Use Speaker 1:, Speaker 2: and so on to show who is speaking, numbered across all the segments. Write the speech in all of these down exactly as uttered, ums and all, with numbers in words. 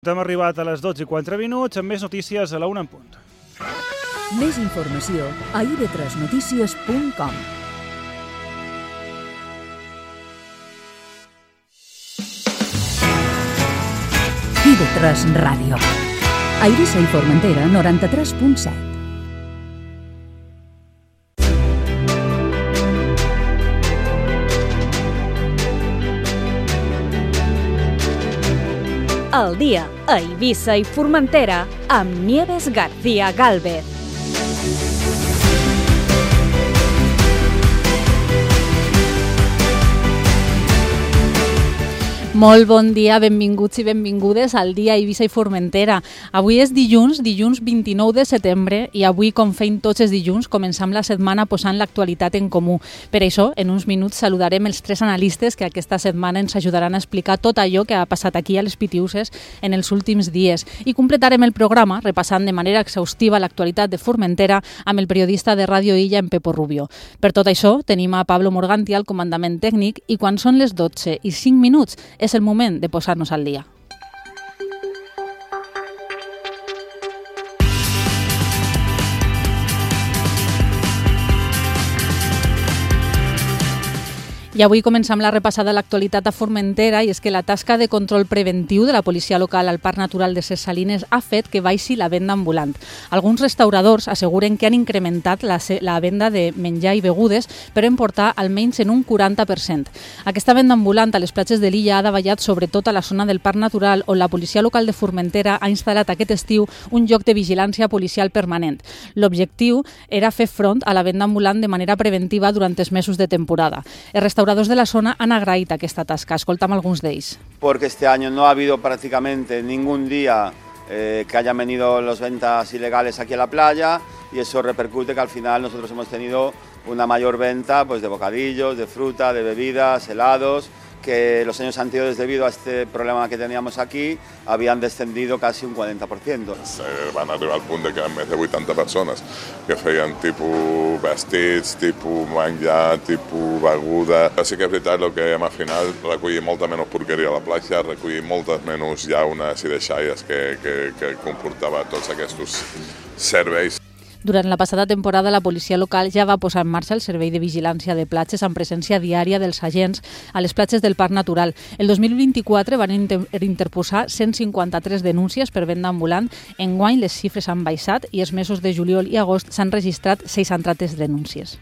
Speaker 1: Hem arribat a les dotze i quatre minuts amb més notícies a la una en punt.
Speaker 2: Més informació a i ve tres notícies punt com. i ve tres Ràdio. A Eivissa i Formentera, noranta-tres punt set.
Speaker 3: El dia a Eivissa i Formentera amb Nieves García Gálvez.
Speaker 4: Molt bon dia, benvinguts i benvingudes al dia a Eivissa i Formentera. Avui és dilluns, dilluns vint-i-nou de setembre, i avui, com feim tots els dilluns, començam la setmana posant l'actualitat en comú. Per això, en uns minuts saludarem els tres analistes que aquesta setmana ens ajudaran a explicar tot allò que ha passat aquí a les Pitiuses en els últims dies. I completarem el programa repassant de manera exhaustiva l'actualitat de Formentera amb el periodista de Ràdio Illa, en Pepo Rubio. Per tot això, tenim a Pablo Morganti al comandament tècnic i quan són les dotze i cinc minuts és el moment de posar-nos al dia. I avui començam la repassada a l'actualitat a Formentera, i és que la tasca de control preventiu de la policia local al Parc Natural de Ses Salines ha fet que baixi la venda ambulant. Alguns restauradors asseguren que han incrementat la, la venda de menjar i begudes, però en portar almenys en un quaranta per cent. Aquesta venda ambulant a les platges de l'illa ha davallat sobretot a la zona del Parc Natural, on la policia local de Formentera ha instal·lat aquest estiu un lloc de vigilància policial permanent. L'objectiu era fer front a la venda ambulant de manera preventiva durant els mesos de temporada. Els restauradors de la zona han agraït aquesta tasca. Escoltam alguns d'ells.
Speaker 5: Porque este año no ha habido prácticamente ningún día eh, que hayan venido las ventas ilegales aquí a la playa, y eso repercute que al final nosotros hemos tenido una mayor venta pues, de bocadillos, de fruta, de bebidas, helados, que los años anteriores, debido a este problema que teníamos aquí, habían descendido casi un quaranta per cent.
Speaker 6: Eh, van arribar al punt de que més de vuitanta persones que feien tipus vestits, tipus menjar, tipus beguda. Sí que és veritat el que hem al final, recollir molta menys porqueria a la platja, recollir moltes menys llaunes i deixalles que, que, que comportava tots aquests serveis.
Speaker 4: Durant la passada temporada, la policia local ja va posar en marxa el servei de vigilància de platges amb presència diària dels agents a les platges del Parc Natural. El dos mil vint-i-quatre van inter interposar cent cinquanta-tres denúncies per venda ambulant. Enguany les xifres han baixat i els mesos de juliol i agost s'han registrat seixanta-tres denúncies.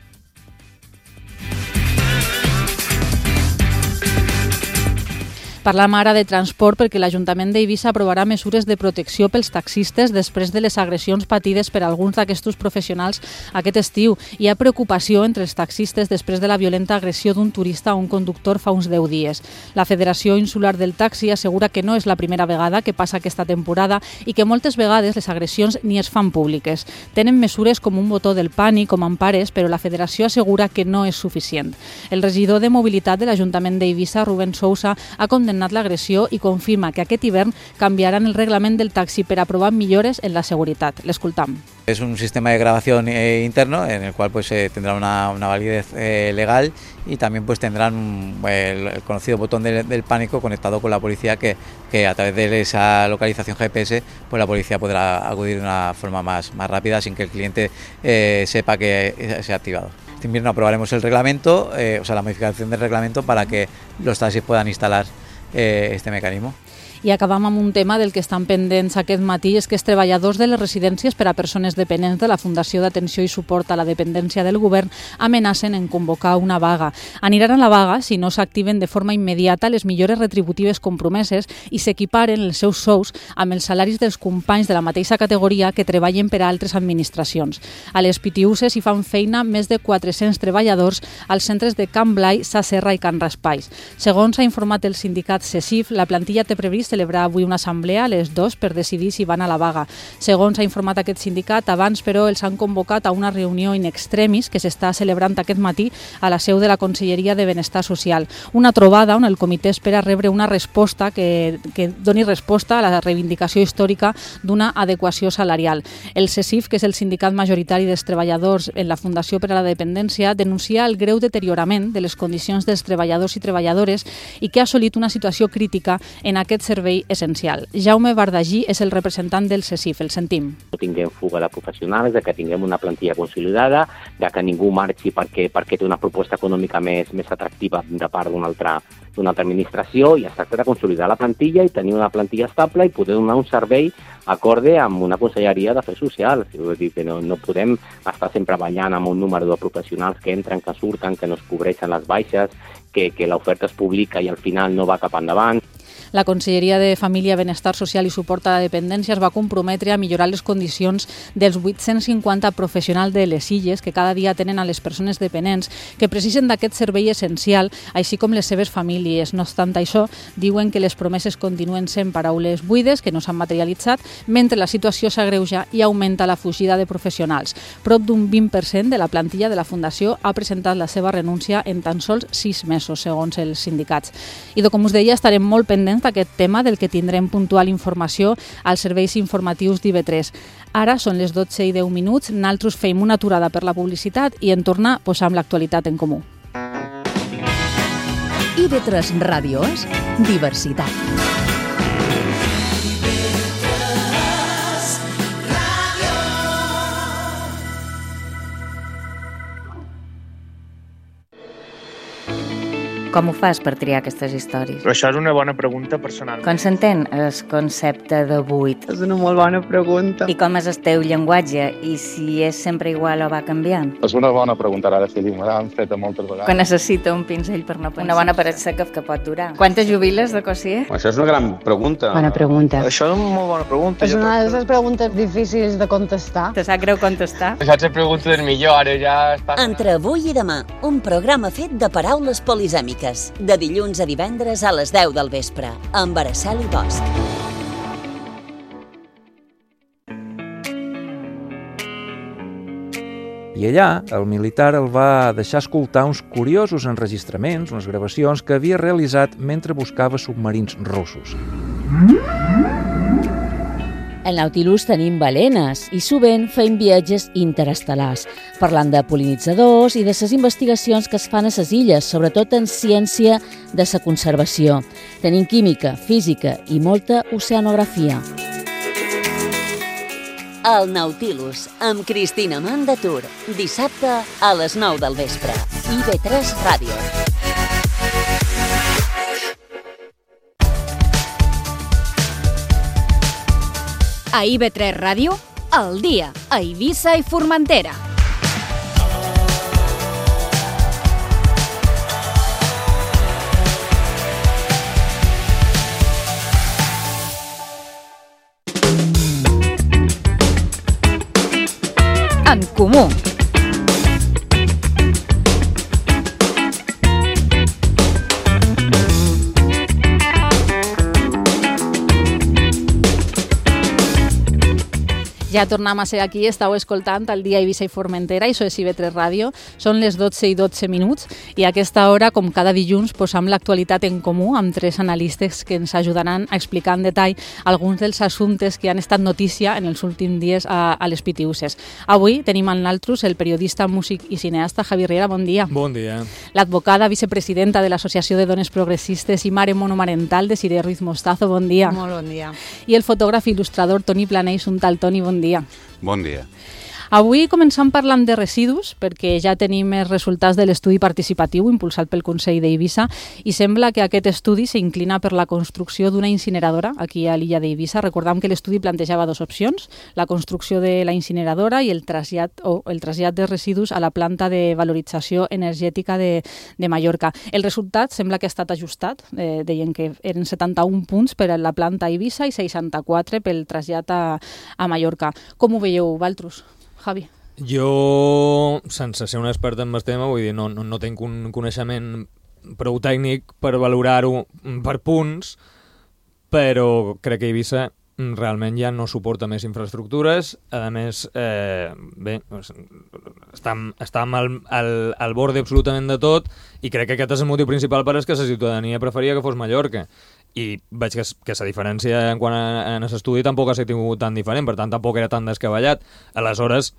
Speaker 4: Parlam ara de transport perquè l'Ajuntament d'Eivissa aprovarà mesures de protecció pels taxistes després de les agressions patides per alguns d'aquests professionals aquest estiu. Hi ha preocupació entre els taxistes després de la violenta agressió d'un turista a un conductor fa uns deu dies. La Federació Insular del Taxi assegura que no és la primera vegada que passa aquesta temporada i que moltes vegades les agressions ni es fan públiques. Tenen mesures com un botó del pànic com empares, però la Federació assegura que no és suficient. El regidor de Mobilitat de l'Ajuntament d'Eivissa, Rubén Sousa, ha condemnat l'agressió i confirma que aquest hivern canviaran el reglament del taxi per aprovar millores en la seguretat. L'escoltam.
Speaker 7: Es un sistema de grabación eh, interno en el cual pues eh, tendrá una, una validez eh, legal, y también pues tendrán un, el, el conocido botón de, del pánico conectado con la policía, que, que a través de esa localización G P S pues la policía podrá acudir de una forma más, más rápida sin que el cliente eh, sepa que se ha activado. Este invierno aprobaremos el reglamento, eh, o sea la modificación del reglamento para que los taxis puedan instalar eh, este mecanismo.
Speaker 4: I acabam amb un tema del que estan pendents aquest matí, és que els treballadors de les residències per a persones dependents de la Fundació d'Atenció i Suport a la Dependència del Govern amenacen en convocar una vaga. Aniran a la vaga si no s'activen de forma immediata les millores retributives compromeses i s'equiparen els seus sous amb els salaris dels companys de la mateixa categoria que treballen per a altres administracions. A les Pitiuses hi fan feina més de quatre-cents treballadors als centres de Can Blai, Sa Serra i Can Raspalls. Segons ha informat el sindicat CESIF, la plantilla té previst celebrar avui una assemblea a les dues per decidir si van a la vaga. Segons ha informat aquest sindicat, abans però els han convocat a una reunió in extremis que s'està celebrant aquest matí a la seu de la Conselleria de Benestar Social. Una trobada on el comitè espera rebre una resposta que, que doni resposta a la reivindicació històrica d'una adequació salarial. El CESIF, que és el sindicat majoritari dels treballadors en la Fundació per a la Dependència, denuncia el greu deteriorament de les condicions dels treballadors i treballadores i que ha assolit una situació crítica en aquest servei servei essencial. Jaume Bardagí és el representant del CECIF, el sentim.
Speaker 8: No tinguem fuga de professionals, de que tinguem una plantilla consolidada, de que ningú marxi perquè, perquè té una proposta econòmica més, més atractiva de part d'una altra, d'una altra administració, i es tracta de consolidar la plantilla i tenir una plantilla estable i poder donar un servei acorde amb una conselleria d'Afers Socials. Vull dir que no, no podem estar sempre ballant amb un número de professionals que entren, que surten, que no es cobreixen les baixes, que, que l'oferta es publica i al final no va cap endavant.
Speaker 4: La Conselleria de Família, Benestar Social i Suport a la Dependència es va comprometre a millorar les condicions dels vuit-cents cinquanta professionals de les Illes que cada dia tenen a les persones dependents que precisen d'aquest servei essencial, així com les seves famílies. No obstant això, diuen que les promeses continuen sent paraules buides, que no s'han materialitzat, mentre la situació s'agreuja i augmenta la fugida de professionals. Prop d'un vint per cent de la plantilla de la Fundació ha presentat la seva renúncia en tan sols sis mesos, segons els sindicats. I com us deia, estarem molt pendents d'aquest tema, del que tindrem puntual informació als serveis informatius d'I V tres. Ara són les dotze i deu minuts, nosaltres feim una aturada per la publicitat i en tornar posam l'actualitat en comú.
Speaker 2: I V tres Ràdio és diversitat.
Speaker 9: Com ho fas per triar aquestes històries?
Speaker 10: Però això és una bona pregunta personal.
Speaker 9: Com s'entén el concepte de buit?
Speaker 11: És una molt bona pregunta.
Speaker 9: I com és el teu llenguatge? I si és sempre igual o va canviant?
Speaker 12: És una bona pregunta, ara sí, me l'han fet moltes vegades.
Speaker 9: Quan necessita un pinzell per no pensar. Una bona paret seca que pot durar. Quantes jubiles de cosier?
Speaker 12: Això és una gran pregunta.
Speaker 11: Bona pregunta.
Speaker 10: Això és una molt bona pregunta.
Speaker 11: És una de les preguntes difícils de contestar.
Speaker 9: Te sap greu contestar?
Speaker 10: Això és la pregunta del millor, ara ja està...
Speaker 13: Entre avui i demà, un programa fet de paraules polisèmiques. De dilluns a divendres a les deu del vespre, amb Araceli Bosch.
Speaker 14: I allà, el militar el va deixar escoltar uns curiosos enregistraments, unes gravacions que havia realitzat mentre buscava submarins russos.
Speaker 15: Al Nautilus tenim balenes i sovint fem viatges interestel·lars, parlant de pol·linitzadors i de les investigacions que es fan a les illes, sobretot en ciència de la conservació. Tenim química, física i molta oceanografia.
Speaker 13: El Nautilus, amb Cristina Mandatur, dissabte a les nou del vespre. I V tres Ràdio.
Speaker 3: A I V tres Ràdio, al dia, a Eivissa i Formentera. En comú.
Speaker 4: Ja tornem a ser aquí, estàu escoltant el dia Eivissa i Formentera, i això és I V tres Ràdio. Són les dotze i dotze minuts i a aquesta hora, com cada dilluns, posam l'actualitat en comú amb tres analistes que ens ajudaran a explicar en detall alguns dels assumptes que han estat notícia en els últims dies a, a les Pitiuses. Avui tenim en l'altrus el periodista, músic i cineasta Javi Riera, bon dia.
Speaker 16: Bon dia.
Speaker 4: L'advocada, vicepresidenta de l'Associació de Dones Progressistes i mare monomarental de Siré Ruiz Mostazo, bon dia.
Speaker 17: Molt bon dia.
Speaker 4: I el fotògraf i il·lustrador Toni Planeix, un tal Toni, bon dia.
Speaker 18: Bon dia.
Speaker 4: Avui començam parlant de residus, perquè ja tenim els resultats de l'estudi participatiu impulsat pel Consell d'Eivissa i sembla que aquest estudi s'inclina per la construcció d'una incineradora aquí a l'illa d'Eivissa. Recordam que l'estudi plantejava dues opcions, la construcció de la incineradora i el trasllat, o el trasllat de residus a la planta de valorització energètica de, de Mallorca. El resultat sembla que ha estat ajustat, eh, deien que eren setanta-un punts per a la planta a Eivissa i seixanta-quatre pel trasllat a, a Mallorca. Com ho veieu, Valtrus? Javi.
Speaker 16: Jo, sense ser un expert en el tema, vull dir, no, no, no tinc un coneixement prou tècnic per valorar-ho per punts, però crec que Eivissa realment ja no suporta més infraestructures. A més, eh, bé, està, està al, al, al bord absolutament de tot i crec que aquest és el motiu principal per és que la ciutadania preferia que fos Mallorca. I veig que, que la diferència en quant a, en l'estudi tampoc ha estat tan diferent, per tant tampoc era tan descabellat. Aleshores,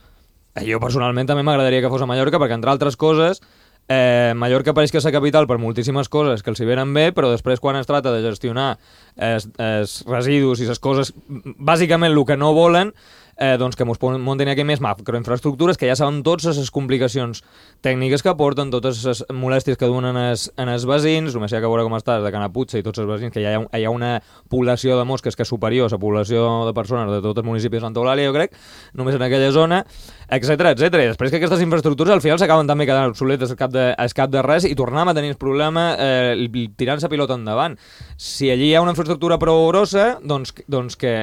Speaker 16: jo personalment també m'agradaria que fos a Mallorca perquè, entre altres coses, Eh, Mallorca pareix que és la capital per moltíssimes coses que els hi venen bé, però després quan es tracta de gestionar els, els residus i les coses, bàsicament el que no volen, eh, doncs que ens muntin aquí més macroinfraestructures, que ja sabem totes les complicacions tècniques que porten, totes les molèsties que duen en els, en els veïns, només hi ha que veure com estàs de Canaputxa i tots els veïns, que hi ha, hi ha una població de mosques que és superior a la població de persones de tots els municipis de Santa Eulàlia, jo crec, només en aquella zona, etcètera, etcètera. I després que aquestes infraestructures al final s'acaben també quedant obsoletes al cap de, al cap de res i tornem a tenir el problema eh, tirant la pilota endavant. Si allí hi ha una infraestructura prou grossa, doncs, doncs que,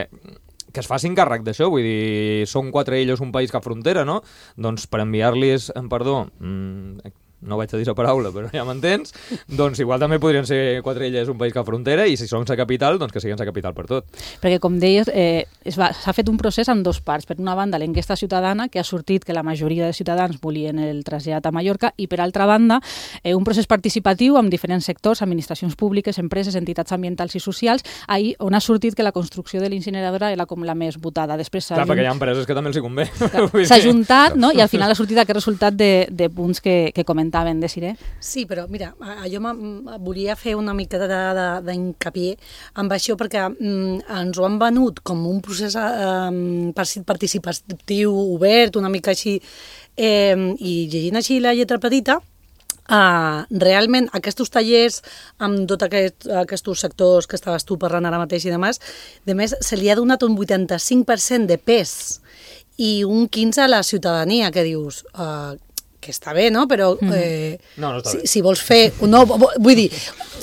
Speaker 16: que es facin càrrec d'això, vull dir, són quatre illes un país cap frontera, no? Doncs per enviar-los, perdó, mmm, no vaig a dir la paraula, però ja m'entens, doncs igual també podrien ser quatre illes un país cap frontera i si són la capital, doncs que siguin la capital per tot.
Speaker 4: Perquè, com deies, eh, s'ha fet un procés en dos parts. Per una banda, l'enquesta ciutadana, que ha sortit que la majoria de ciutadans volien el trasllat a Mallorca, i per altra banda, eh, un procés participatiu amb diferents sectors, administracions públiques, empreses, entitats ambientals i socials, ahir on ha sortit que la construcció de l'incineradora era com la més votada. Després
Speaker 16: Clar, perquè hi ha empreses que també els hi convé.
Speaker 4: S'ha juntat, no? I al final ha sortit aquest resultat de, de punts que, que comentaven, Desiré.
Speaker 17: Sí, però mira, jo volia fer una mica d'incapié amb això perquè mm, ens ho han venut com un procés eh, participatiu obert, una mica així, eh, i llegint així la lletra petita, Uh, realment aquests tallers amb tots aquest, aquests sectors que estaves tu parlant ara mateix i demés, de més se li ha donat un vuitanta-cinc per cent de pes i un quinze per cent a la ciutadania, que dius... Uh, que està bé, no? Però eh,
Speaker 16: no, no està
Speaker 17: si,
Speaker 16: bé.
Speaker 17: si vols fer... No, vull dir,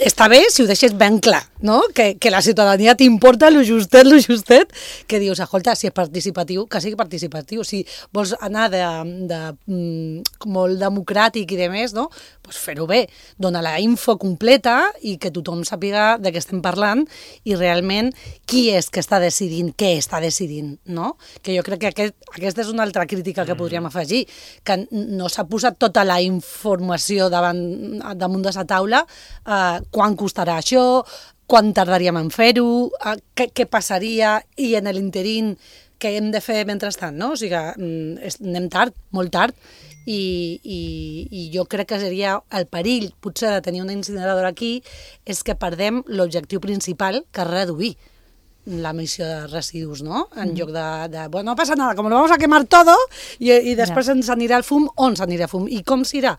Speaker 17: està bé si ho deixes ben clar, no? Que, que la ciutadania t'importa lo justet, lo justet, que dius, escolta, si és participatiu, que sigui participatiu. Si vols anar de, de, de molt democràtic i de més, no? Pues fer-ho bé, donar la info completa i que tothom sàpiga de què estem parlant i realment qui és que està decidint, què està decidint, no? Que jo crec que aquest, aquesta és una altra crítica que podríem afegir, que no s'ha posat tota la informació davant, damunt de la taula, eh, quan costarà això, quan tardaríem en fer-ho, eh, què, què passaria i en l'interín què hem de fer mentrestant, no? O sigui que anem tard, molt tard, i, i, i jo crec que seria el perill, potser, de tenir una incineradora aquí, és que perdem l'objectiu principal, que és reduir l'emissió de residus, no? En mm. lloc de, de, bueno, no passa nada, com lo vamos a quemar todo, i, i després ja. ens anirà el fum, on s'anirà el fum, i com s'irà?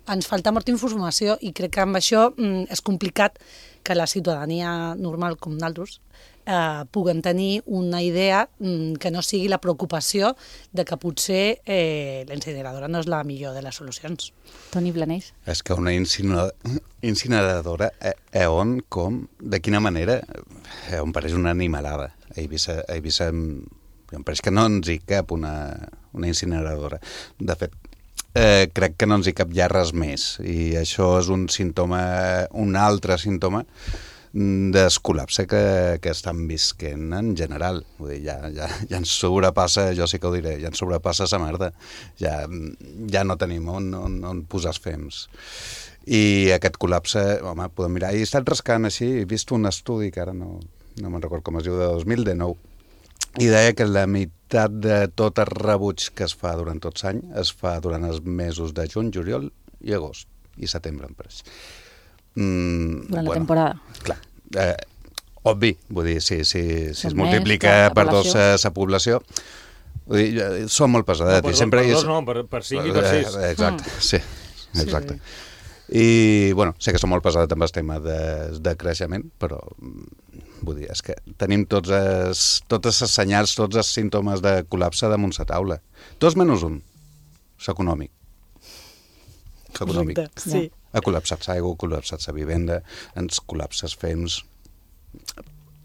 Speaker 17: Ens falta molta informació, i crec que amb això mm, és complicat que la ciutadania normal, com nosaltres, eh, puguem tenir una idea mm, que no sigui la preocupació de que potser eh, la incineradora no és la millor de les solucions.
Speaker 4: Toni Blaneix.
Speaker 18: És que una incineradora, eh, eh, on, com, de quina manera, eh, em pareix una animalada. A Eivissa, a Eivissa em pareix que no ens hi cap una, una incineradora. De fet, eh, crec que no ens hi cap ja res més, i això és un símptoma, un altre símptoma del col·lapse que, que estan visquent en general. Vull dir, ja, ja, ja ens sobrepassa, jo sí que ho diré, ja ens sobrepassa sa merda. Ja, ja no tenim on, on, on posar els fems. I aquest col·lapse, home, podem mirar. I he estat rascant així, he vist un estudi que ara no, no me'n recordo com es diu, de dos mil dinou, i deia que la meitat de tot el rebuig que es fa durant tot l'any es fa durant els mesos de juny, juliol i agost, i setembre, em pareix. Mm,
Speaker 4: durant
Speaker 18: bueno,
Speaker 4: la temporada.
Speaker 18: Clar, eh, obvi, vull dir, si, si, si es multiplica per dos la població, vull dir, són molt pesadets.
Speaker 16: No, per,
Speaker 18: sempre
Speaker 16: per
Speaker 18: és...
Speaker 16: dos no, per, per cinc i per sis.
Speaker 18: Eh, exacte, mm. sí, exacte.
Speaker 16: Sí.
Speaker 18: I, bueno, sé que són molt pesades amb el tema de, de creixement, però vull dir, és que tenim tots els, totes les senyals, tots els símptomes de col·lapse damunt la taula. Tots menys un, l'econòmic. L'econòmic.
Speaker 17: Sí.
Speaker 18: Ha col·lapsat l'aigua, ha col·lapsat la vivenda, ens col·lapsa els fems.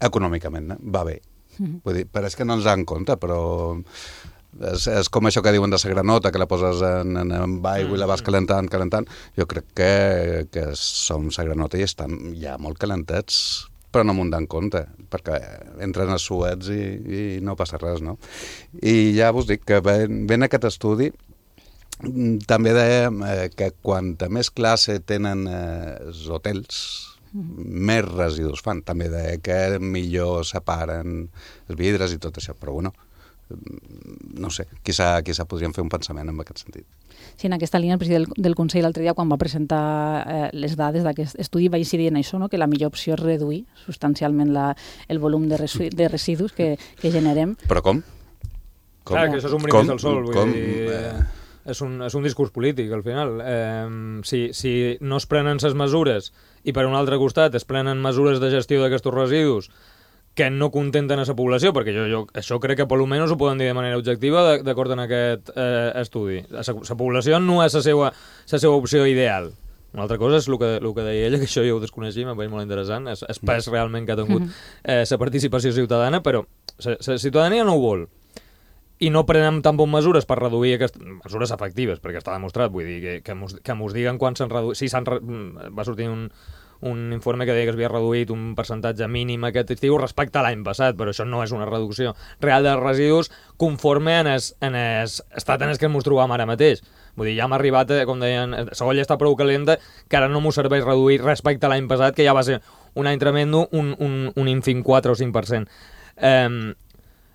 Speaker 18: Econòmicament, va bé. Mm-hmm. Vull dir, pareix que no ens dan compte, però és, és com això que diuen de la granota, que la poses en, en, en aigua i la vas calentant, calentant. Jo crec que, que som la granota i estan ja molt calentats, però no m'ho dan compte, perquè entren a suets i, i no passa res, no? I ja vos dic que ven, ven aquest estudi. També deia eh, que quanta més classe tenen eh, els hotels, mm. més residus fan. També deia que millor separen els vidres i tot això, però bueno, no sé, quizà, quizà podríem fer un pensament en aquest sentit.
Speaker 4: Sí, en aquesta línia el president del, del Consell l'altre dia, quan va presentar eh, les dades d'aquest estudi, va incidir en això, no? Que la millor opció és reduir substancialment la, el volum de, resu, de residus que, que generem.
Speaker 18: Però com?
Speaker 16: com? Clar, que això és un brindis al sol, vull
Speaker 18: com,
Speaker 16: dir... Eh... És un, és un discurs polític, al final. Eh, si, si no es prenen les mesures i per un altre costat es prenen mesures de gestió d'aquests residus que no contenten a la població, perquè jo, jo això crec que per almenys ho poden dir de manera objectiva d'acord amb aquest eh, estudi. La, la població no és la seva, la seva opció ideal. Una altra cosa és el que, el que deia ella, que això jo ho desconeixia, m'ha parit molt interessant, és, és pes realment que ha tingut eh, la participació ciutadana, però la ciutadania no ho vol. I no prenem tampoc mesures per reduir aquestes mesures efectives, perquè està demostrat, vull dir, que, que, mos, que mos diguen quan s'han reduït... Sí, s'han re... va sortir un, un informe que deia que s'havia reduït un percentatge mínim aquest estiu respecte a l'any passat, però això no és una reducció real dels residus conforme en es, en es estat en el que ens trobam ara mateix. Vull dir, ja hem arribat, a, com deien, la olla està prou calenta, que ara no m'ho serveix reduir respecte a l'any passat, que ja va ser un any tremendo, un, un, un ínfim quatre o cinc per cent. Eh,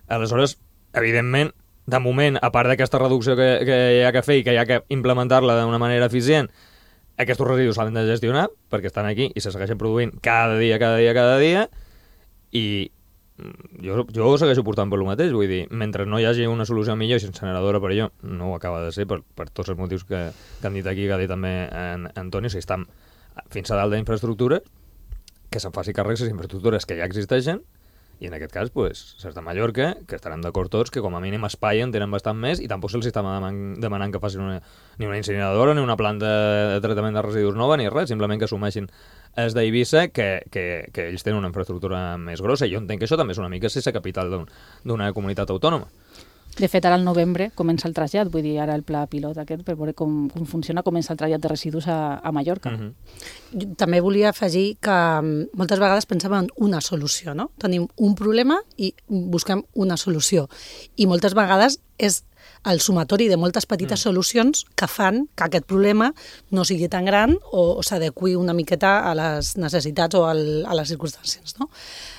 Speaker 16: aleshores, evidentment, de moment, a part d'aquesta reducció que, que hi ha que fer i que hi ha que implementar-la d'una manera eficient, aquests residus s'han de gestionar, perquè estan aquí i se segueixen produint cada dia, cada dia, cada dia, i jo, jo ho segueixo portant per lo mateix, vull dir, mentre no hi hagi una solució millor, si incineradora per allò no ho acaba de ser, per, per tots els motius que, que han dit aquí, que ha dit també en Antoni, si estan fins a dalt d'infraestructura, que se'n faci càrrec les infraestructures que ja existeixen, i en aquest cas, pues, les de Mallorca, que estarem d'acord tots, que com a mínim espai en tenen bastant més i tampoc se'ls està demanant, demanant que facin una, ni una incineradora, ni una planta de tractament de residus nova, ni res, simplement que assumeixin els d'Eivissa, que, que, que ells tenen una infraestructura més grossa. I jo entenc que això també és una mica ser la capital d'una comunitat autònoma.
Speaker 4: De fet, ara al novembre comença el trasllat, vull dir, ara el pla pilot aquest, per veure com, com funciona, comença el trasllat de residus a, a Mallorca.
Speaker 17: Mm-hmm. També volia afegir que moltes vegades pensem en una solució, no? Tenim un problema i busquem una solució. I moltes vegades és el sumatori de moltes petites mm. solucions que fan que aquest problema no sigui tan gran o, o s'adequi una miqueta a les necessitats o al, a les circumstàncies, no?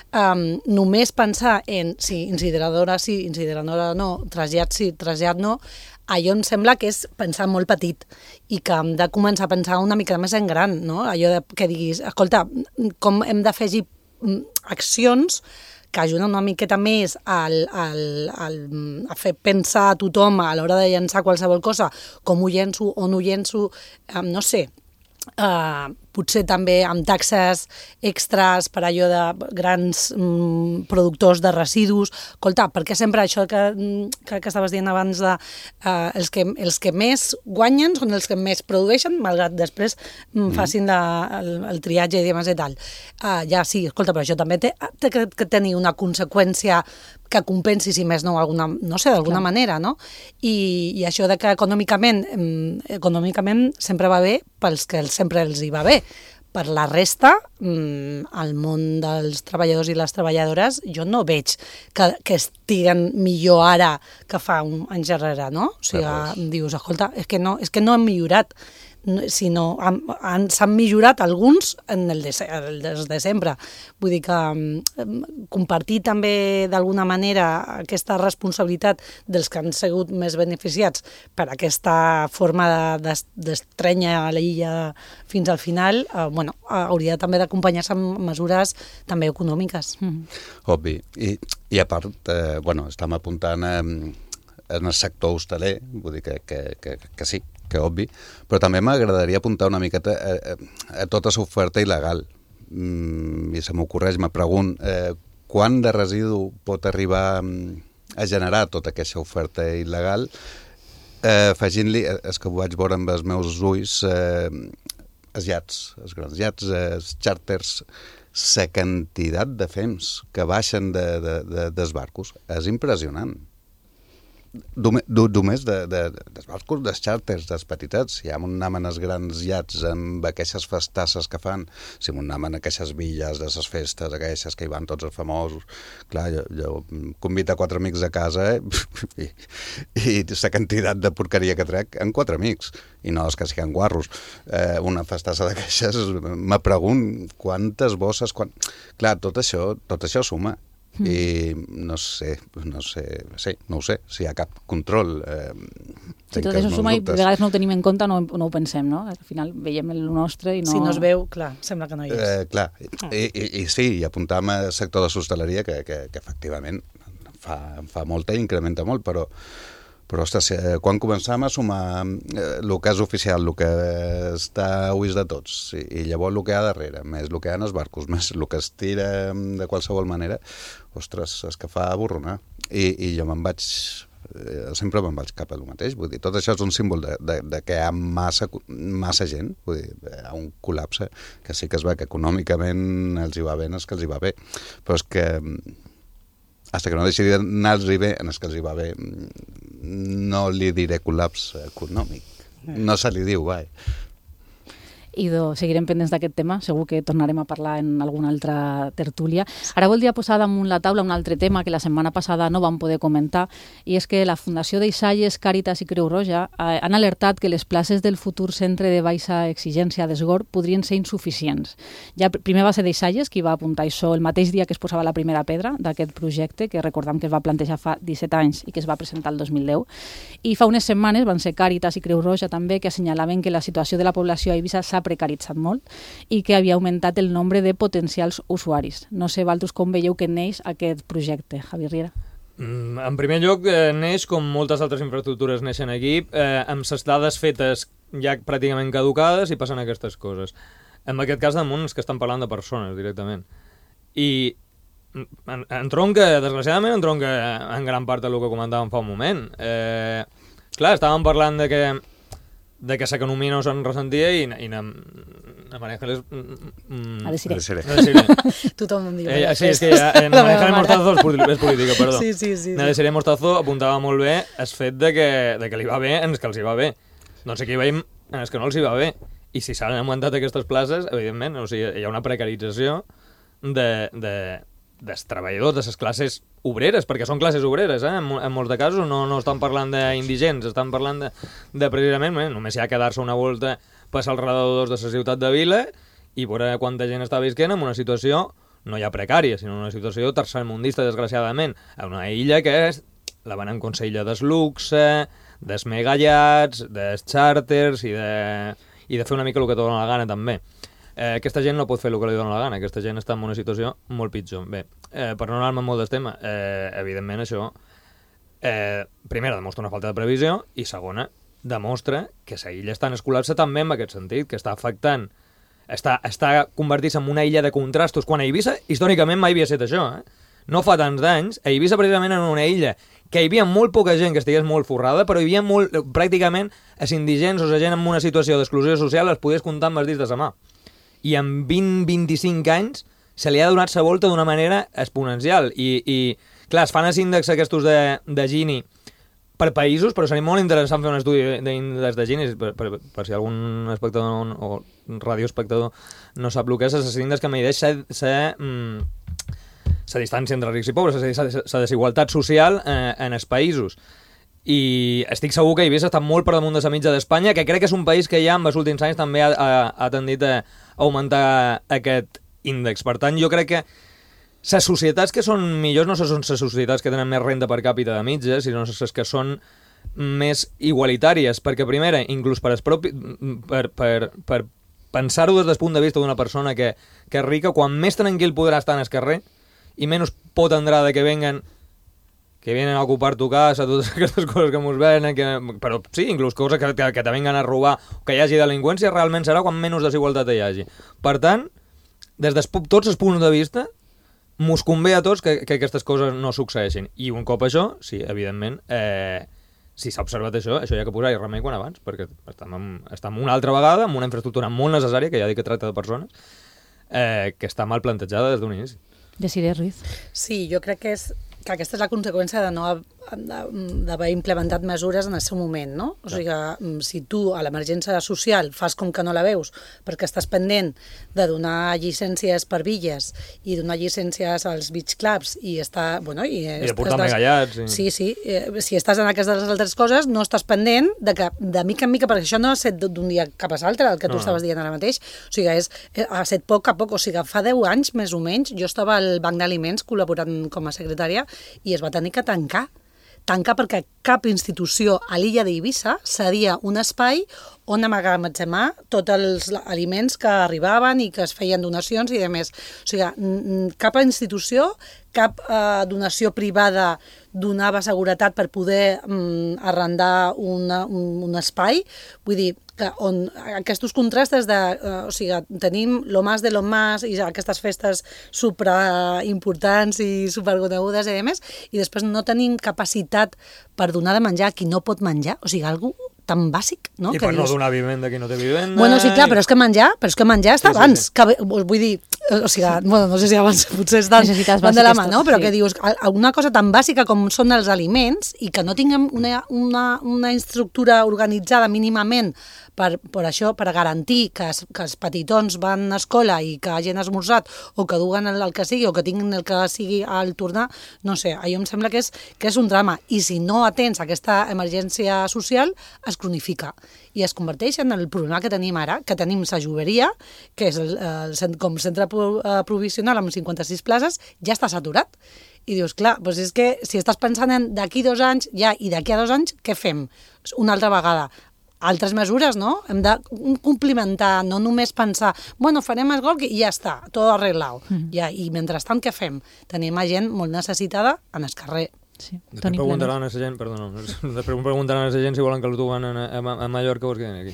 Speaker 17: Um, només pensar en si incineradora sí, incineradora no, trasllat sí, trasllat no, allò em sembla que és pensar molt petit i que hem de començar a pensar una mica més en gran, no? Allò de, que diguis, escolta, com hem d'afegir accions que ajuden una miqueta més al, al, al, a fer pensar a tothom a l'hora de llançar qualsevol cosa, com ho llenço, on ho llenço, um, no sé, Uh, potser també amb taxes extras per allò de grans mm, productors de residus. Escolta, perquè sempre això que, que, que estaves dient abans de uh, els, que, els que més guanyen són els que més produeixen, malgrat després mm, facin la, el, el triatge i demés i tal. Uh, ja sí, escolta, però això també té, té que, que tenir una conseqüència que compensi, si més no, alguna, no sé, d'alguna manera, no? I, i això de que econòmicament, econòmicament sempre va bé pels que sempre els hi va bé. Per la resta, al món dels treballadors i les treballadores, jo no veig que, que estiguen millor ara que fa un anys darrere, no? O sigui, dius, escolta, és que no, és que no han millorat, sinó han, han, s'han millorat alguns en el de, el de, de sempre. Vull dir que um, compartir també d'alguna manera aquesta responsabilitat dels que han sigut més beneficiats per aquesta forma d'estrènyer a l'illa fins al final, uh, bueno, hauria també d'acompanyar-se amb mesures també econòmiques.
Speaker 18: Mm. Obvi. I, i a part, eh, bueno, estem apuntant eh, en el sector hosteler, vull dir que, que, que, que sí, que obvi, però també m'agradaria apuntar una miqueta a, a, a tota l'oferta il·legal. Mm, I se m'ocorreix, me pregunto, eh, quant de residu pot arribar a generar tota aquesta oferta il·legal, eh, afegint-li, és que ho vaig veure amb els meus ulls, eh, els iats, els grans iats, els xàrters, la quantitat de fems que baixen de, de, de, dels barcos és impressionant. Només de, de, dels barcos, dels xàrters, dels petitets. Si ja m'anaven els grans iats amb aquestes festasses que fan, si m'anaven aquestes villes de les festes, aquestes que hi van tots els famosos, clar, jo, jo convido quatre amics a casa eh? i, i la quantitat de porqueria que trec en quatre amics, i no és que siguin guarros. Eh, una festassa d'aquestes, me pregunto quantes bosses, quan... clar, tot això, tot això suma. Mm. I no sé, no sé, sí, no ho sé, si hi ha cap control. Eh,
Speaker 4: si tot això suma i a vegades no ho tenim en compte, no, no ho pensem, no? Al final veiem el nostre i no...
Speaker 17: Si no es veu, clar, sembla que no hi és.
Speaker 18: Eh, clar, I, i, i sí, i apuntàvem al sector de l'hostaleria que, que, que efectivament fa, fa molta i incrementa molt, però Però, ostres, quan començàvem a sumar el que és oficial, el que està a ulls de tots, i, i llavors el que hi ha darrere, més el que hi ha en els barcos, més el que es tira de qualsevol manera, ostres, és que fa avorronar. I, i jo me'n vaig... sempre me'n vaig cap a el mateix. Vull dir, tot això és un símbol de, de, de que hi ha massa, massa gent, vull dir, hi ha un col·lapse que sí que es va, que econòmicament els hi va bé, no és que els hi va bé, però és que hasta que no deixi d'anar-los bé, en els que els hi va bé, no li diré col·lapse econòmic. No se li diu, vai.
Speaker 4: Idò, seguirem pendents d'aquest tema, segur que tornarem a parlar en alguna altra tertúlia. Ara voldria posar damunt la taula un altre tema que la setmana passada no vam poder comentar, i és que la Fundació d'Eixalles, Càritas i Creu Roja han alertat que les places del futur centre de baixa exigència d'Esgor podrien ser insuficients. Ja primer va ser d'Eixalles qui va apuntar això el mateix dia que es posava la primera pedra d'aquest projecte, que recordam que es va plantejar fa disset anys i que es va presentar el dos mil deu, i fa unes setmanes van ser Càritas i Creu Roja també que assenyalaven que la situació de la població a Eivissa s'ha precaritzat molt i que havia augmentat el nombre de potencials usuaris. No sé, Valtus, com veieu que neix aquest projecte, Javi Riera?
Speaker 16: Mm, en primer lloc, eh, neix, com moltes altres infraestructures neixen aquí, eh, amb les dades fetes ja pràcticament caducades i passen aquestes coses. En aquest cas, damunt, és que estan parlant de persones directament. I en, en tronca, desgraciadament, en tronca en gran part del que comentàvem fa un moment. Eh, clar, estàvem parlant de que de que l'economia no se'n ressentia i, i na, na María Ángeles... Mm,
Speaker 17: a decir.
Speaker 16: A decir.
Speaker 17: Tothom em diu.
Speaker 16: Eh, sí, és que ja, eh, na María Ángeles Mostazo és, és política, perdó.
Speaker 17: Sí, sí, sí.
Speaker 16: Na
Speaker 17: sí.
Speaker 16: Desiree Mostazo apuntava molt bé el fet de que, de que li va bé en els que els hi va bé. Doncs aquí veiem en els que no els hi va bé. I si s'han augmentat aquestes places, evidentment, o sigui, hi ha una precarització de... de dels treballadors, de les classes obreres, perquè són classes obreres, eh? en, en molts de casos no, no estan parlant d'indigents, estan parlant de, de precisament, eh? només hi ha que dar-se una volta, passar als redadors de la ciutat de Vila i veure quanta gent està visquent en una situació no ja precària, sinó una situació tercermundista, desgraciadament, a una illa que és, la van en consella des luxe, des megallats, des xàrters i de, i de fer una mica el que te dona la gana també. Eh, aquesta gent no pot fer el que li dona la gana, aquesta gent està en una situació molt pitjor. Bé, eh, per no anar-me molt del tema, eh, evidentment això, eh, primera, demostra una falta de previsió, i segona, demostra que la illa està en el col·lapse també en aquest sentit, que està afectant, està, està convertint-se en una illa de contrastos, quan a Eivissa, històricament mai havia estat això, eh? No fa tants d'anys, a Eivissa precisament en una illa que hi havia molt poca gent que estigués molt forrada, però hi havia molt, pràcticament, els indigents o la gent en una situació d'exclusió social els podies comptar amb els dits de sa mà. I en vint a vint-i-cinc anys se li ha donat la volta d'una manera exponencial. I, i clar, es fan els índexs aquests de, de Gini per països, però seria molt interessant fer un estudi d'índex de Gini, per, per, per si algun espectador o radioespectador no sap el que és, els índexs que medeix la mm, distància entre rics i pobres, la desigualtat social eh, en els països. I estic segur que Eivissa està molt per damunt de la mitja d'Espanya, que crec que és un país que ja en els últims anys també ha, ha, ha tendit a augmentar aquest índex. Per tant, jo crec que les societats que són millors no són les societats que tenen més renda per càpita de mitja, sinó les que són més igualitàries, perquè primera, inclús per, propi, per, per, per pensar-ho des del punt de vista d'una persona que, que és rica, quan més tranquil podrà estar en el carrer i menys por tindrà de que venguen que vienen a ocupar tu casa, totes aquestes coses que mos venen, que, però sí, inclús coses que, que, que te vengan a robar, que hi hagi delinqüència, realment serà quan menys desigualtat hi hagi. Per tant, des de tots els punts de vista, mos convé a tots que, que aquestes coses no succeeixin. I un cop això, sí, evidentment, eh, si s'ha observat això, això hi ha que posar-hi remei quan abans, perquè estem, en, estem una altra vegada amb una infraestructura molt necessària, que ja dic que tracta de persones, eh, que està mal plantejada des d'un inici.
Speaker 4: Desiree Ruiz.
Speaker 17: Sí, jo crec que és que aquesta és la conseqüència de no d'haver implementat mesures en el seu moment, no? O sigui, si tu a l'emergència social fas com que no la veus perquè estàs pendent de donar llicències per villes i donar llicències als beach clubs i està, bueno... I,
Speaker 16: I de portar megallats.
Speaker 17: Sí, sí. Si estàs en aquestes altres coses, no estàs pendent de que, de mica en mica, perquè això no ha estat d'un dia cap a l'altre, el que tu estaves dient ara mateix. O sigui, és, ha estat poc a poc. O sigui, fa deu anys, més o menys, jo estava al Banc d'Aliments col·laborant com a secretària i es va tenir que tancar. Tancar perquè cap institució a l'illa d'Eivissa cedia un espai on amagatzemar tots els aliments que arribaven i que es feien donacions i demés. O sigui, cap institució, cap eh, donació privada donava seguretat per poder mm, arrendar una, un, un espai. Vull dir, que on aquests contrastes de... Eh, o sigui, tenim lo más de lo más i aquestes festes superimportants i superconegudes i demés, i després no tenim capacitat per donar de menjar a qui no pot menjar. O sigui, algú tan bàsic, no?
Speaker 16: I
Speaker 17: que
Speaker 16: per
Speaker 17: dius...
Speaker 16: no donar vivenda a qui no té vivenda...
Speaker 17: Bueno, sí, clar, però és que menjar, però és que menjar està
Speaker 16: Sí, sí,
Speaker 17: abans.
Speaker 16: sí.
Speaker 17: Que, vull dir, o sigui, bueno, no sé si abans potser estan
Speaker 4: Necessitats
Speaker 17: van de la mà,
Speaker 4: bàsiques,
Speaker 17: no? Però
Speaker 4: sí.
Speaker 17: que dius, una cosa tan bàsica com són els aliments i que no tinguem una, una, una estructura organitzada mínimament per, per això, per garantir que, es, que els petitons van a escola i que hagin esmorzat o que duguen el, el que sigui o que tinguin el que sigui al tornar, no sé, allò em sembla que és, que és un drama. I si no atens aquesta emergència social, es cronifica i es converteix en el problema que tenim ara, que tenim la Joveria, que és el, el, com centre provisional amb cinquanta-sis places, ja està saturat. I dius, clar, doncs és que si estàs pensant en d'aquí dos anys, ja, i d'aquí a dos anys, què fem? Una altra vegada. Altres mesures, no? Hem de complementar, no només pensar, bueno, farem el gol i ja està, tot arreglat. Mm. Ja, i mentrestant, què fem? Tenim a gent molt necessitada en el carrer.
Speaker 4: Sí.
Speaker 16: Després preguntaran a la gent, perdó, no, després preguntaran a la gent si volen que el duen a, a, a Mallorca o es queden aquí.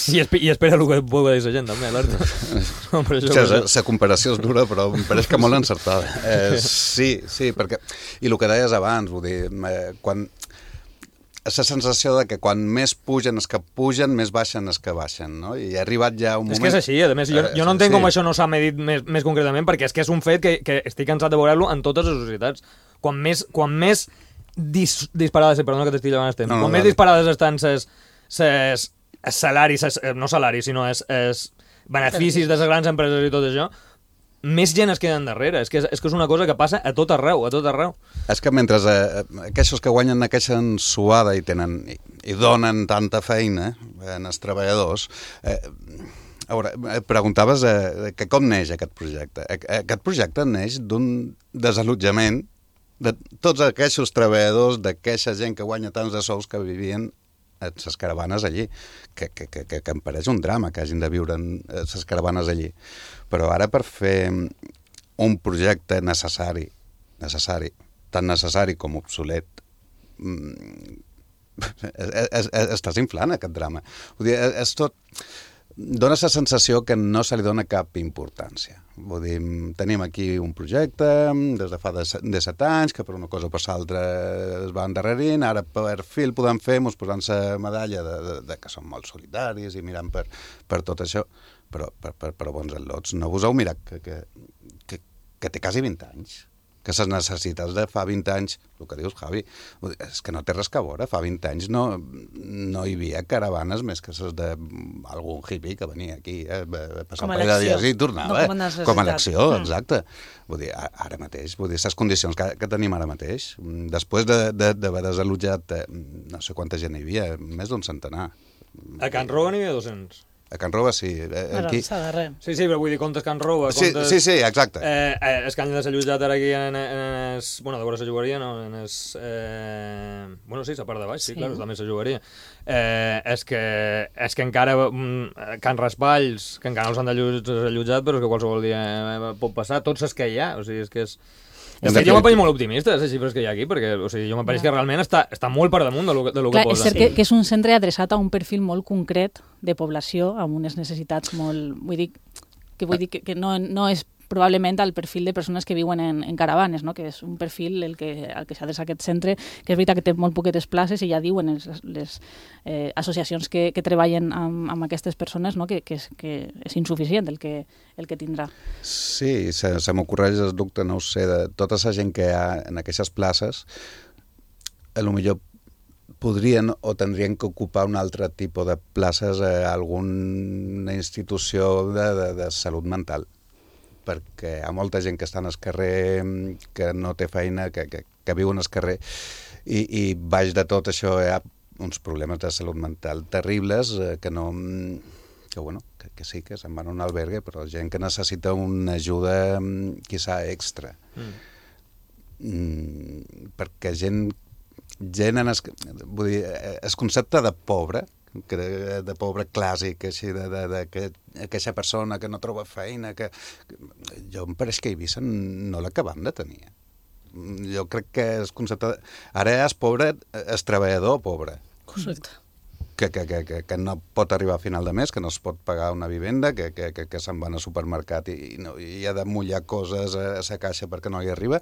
Speaker 16: I, esp I espera el que pugui dir la gent, també, alerta. No,
Speaker 18: la comparació és dura, però em pareix que molt encertada. Eh, sí, sí, perquè... I el que deies abans, vull dir, eh, quan... la sensació de que quan més pugen els que pugen, més baixen els que baixen, no? I ha arribat ja un moment...
Speaker 16: És que és així, a més, jo, jo no entenc sí. com això no s'ha medit més, més concretament, perquè és que és un fet que, que estic cansat de veure-lo en totes les societats. Quan més, quan més dis, disparades, perdona que t'estic llevant el temps, no, no, quan no, més no. disparades estan ses, ses salaris, ses, no salaris, sinó es, es beneficis de les grans empreses i tot això, més gent es queden darrere. És que és, és que és una cosa que passa a tot arreu, a tot arreu.
Speaker 18: És que mentre eh, aquests que guanyen aquesta suada i tenen i, i donen tanta feina en els treballadors, eh, a veure, preguntaves eh, que com neix aquest projecte. Aquest projecte neix d'un desallotjament de tots aquests treballadors, d'aquesta gent que guanya tants de sous que vivien a les caravanes allí, que, que, que, que em pareix un drama que hagin de viure en les caravanes allí. Però ara per fer un projecte necessari, necessari, tan necessari com obsolet, estàs inflant aquest drama. Vull dir, és tot... Dóna la sensació que no se li dona cap importància. Vull dir, tenim aquí un projecte des de fa de set anys, que per una cosa o per l'altra es va endarrerint, ara per fi el podem fer, ens posant la medalla de, de, de que som molt solitaris i mirant per, per tot això, però per, per, per bons al·lots. No vos heu mirat que, que, que, que té quasi vint anys, que les necessitats de fa vint anys, el que dius, Javi, és que no té res que veure. Fa vint anys no, no hi havia caravanes més que les d'algun hippie que venia aquí eh, a passar un parell de dies i tornava. No, com, com a elecció, mm. exacte. Vull dir, ara mateix, vull dir, les condicions que, que tenim ara mateix, després d'haver de, de, desallotjat, eh, no sé quanta gent hi havia, més d'un centenar.
Speaker 16: A Can Roba n'hi havia dos-cents.
Speaker 18: A Can Roba, sí. Eh, aquí...
Speaker 16: Sí, sí, però vull dir, comptes Can Roba...
Speaker 18: Comptes... Sí, sí, sí, exacte.
Speaker 16: Eh, eh, es que han desallotjat ara aquí en, en es... Bueno, de veure la jugaria, no? En es... Eh... Bueno, sí, la part de baix, sí, sí. Clar, també la jugaria. Eh, és, que, és que encara mm, Can Raspalls, que encara no els han desallotjat, però és que qualsevol dia pot passar, tots els que hi ha, o sigui, és que és... És que jo m'ho pareix molt optimista, les xifres que hi ha aquí, perquè o sigui, jo m'ho pareix que realment està, està molt per damunt de lo, de lo
Speaker 4: Clar,
Speaker 16: que posa.
Speaker 4: És cert que, que és un centre adreçat a un perfil molt concret de població, amb unes necessitats molt... Vull dir, que, vull dir que, que no, no és probablement al perfil de persones que viuen en, en caravanes, no? Que és un perfil el que, el que s'adreça a aquest centre, que és veritat que té molt poquetes places i ja diuen les, les eh, associacions que, que treballen amb, amb aquestes persones, no? que, que, és, que és insuficient el que, el que tindrà.
Speaker 18: Sí, se, se m'ocorreix el dubte, no ho sé, de tota la gent que hi ha en aquestes places, a lo millor podrien o tindrien que ocupar un altre tipus de places a alguna institució de, de, de salut mental, perquè hi ha molta gent que està al carrer, que no té feina, que, que, que viu al carrer, i, i baix de tot això hi ha uns problemes de salut mental terribles eh, que no... que, bueno, que, que sí, que se'n van a un albergue, però gent que necessita una ajuda quizà extra. Mm. Mm, perquè gent gent en es, vull dir, el concepte de pobre, que de, de pobre clàssic, així, de, de, de que aquesta persona que no troba feina, que, que jo em pareix que a Eivissa no l'acabam de tenir. Jo crec que el concepte... De, ara és pobre, és treballador pobre.
Speaker 17: Correcte.
Speaker 18: Que, que, que, que, que no pot arribar a final de mes, que no es pot pagar una vivenda, que, que, que, que se'n van al supermercat i, i, no, i ha de mullar coses a la caixa perquè no hi arriba.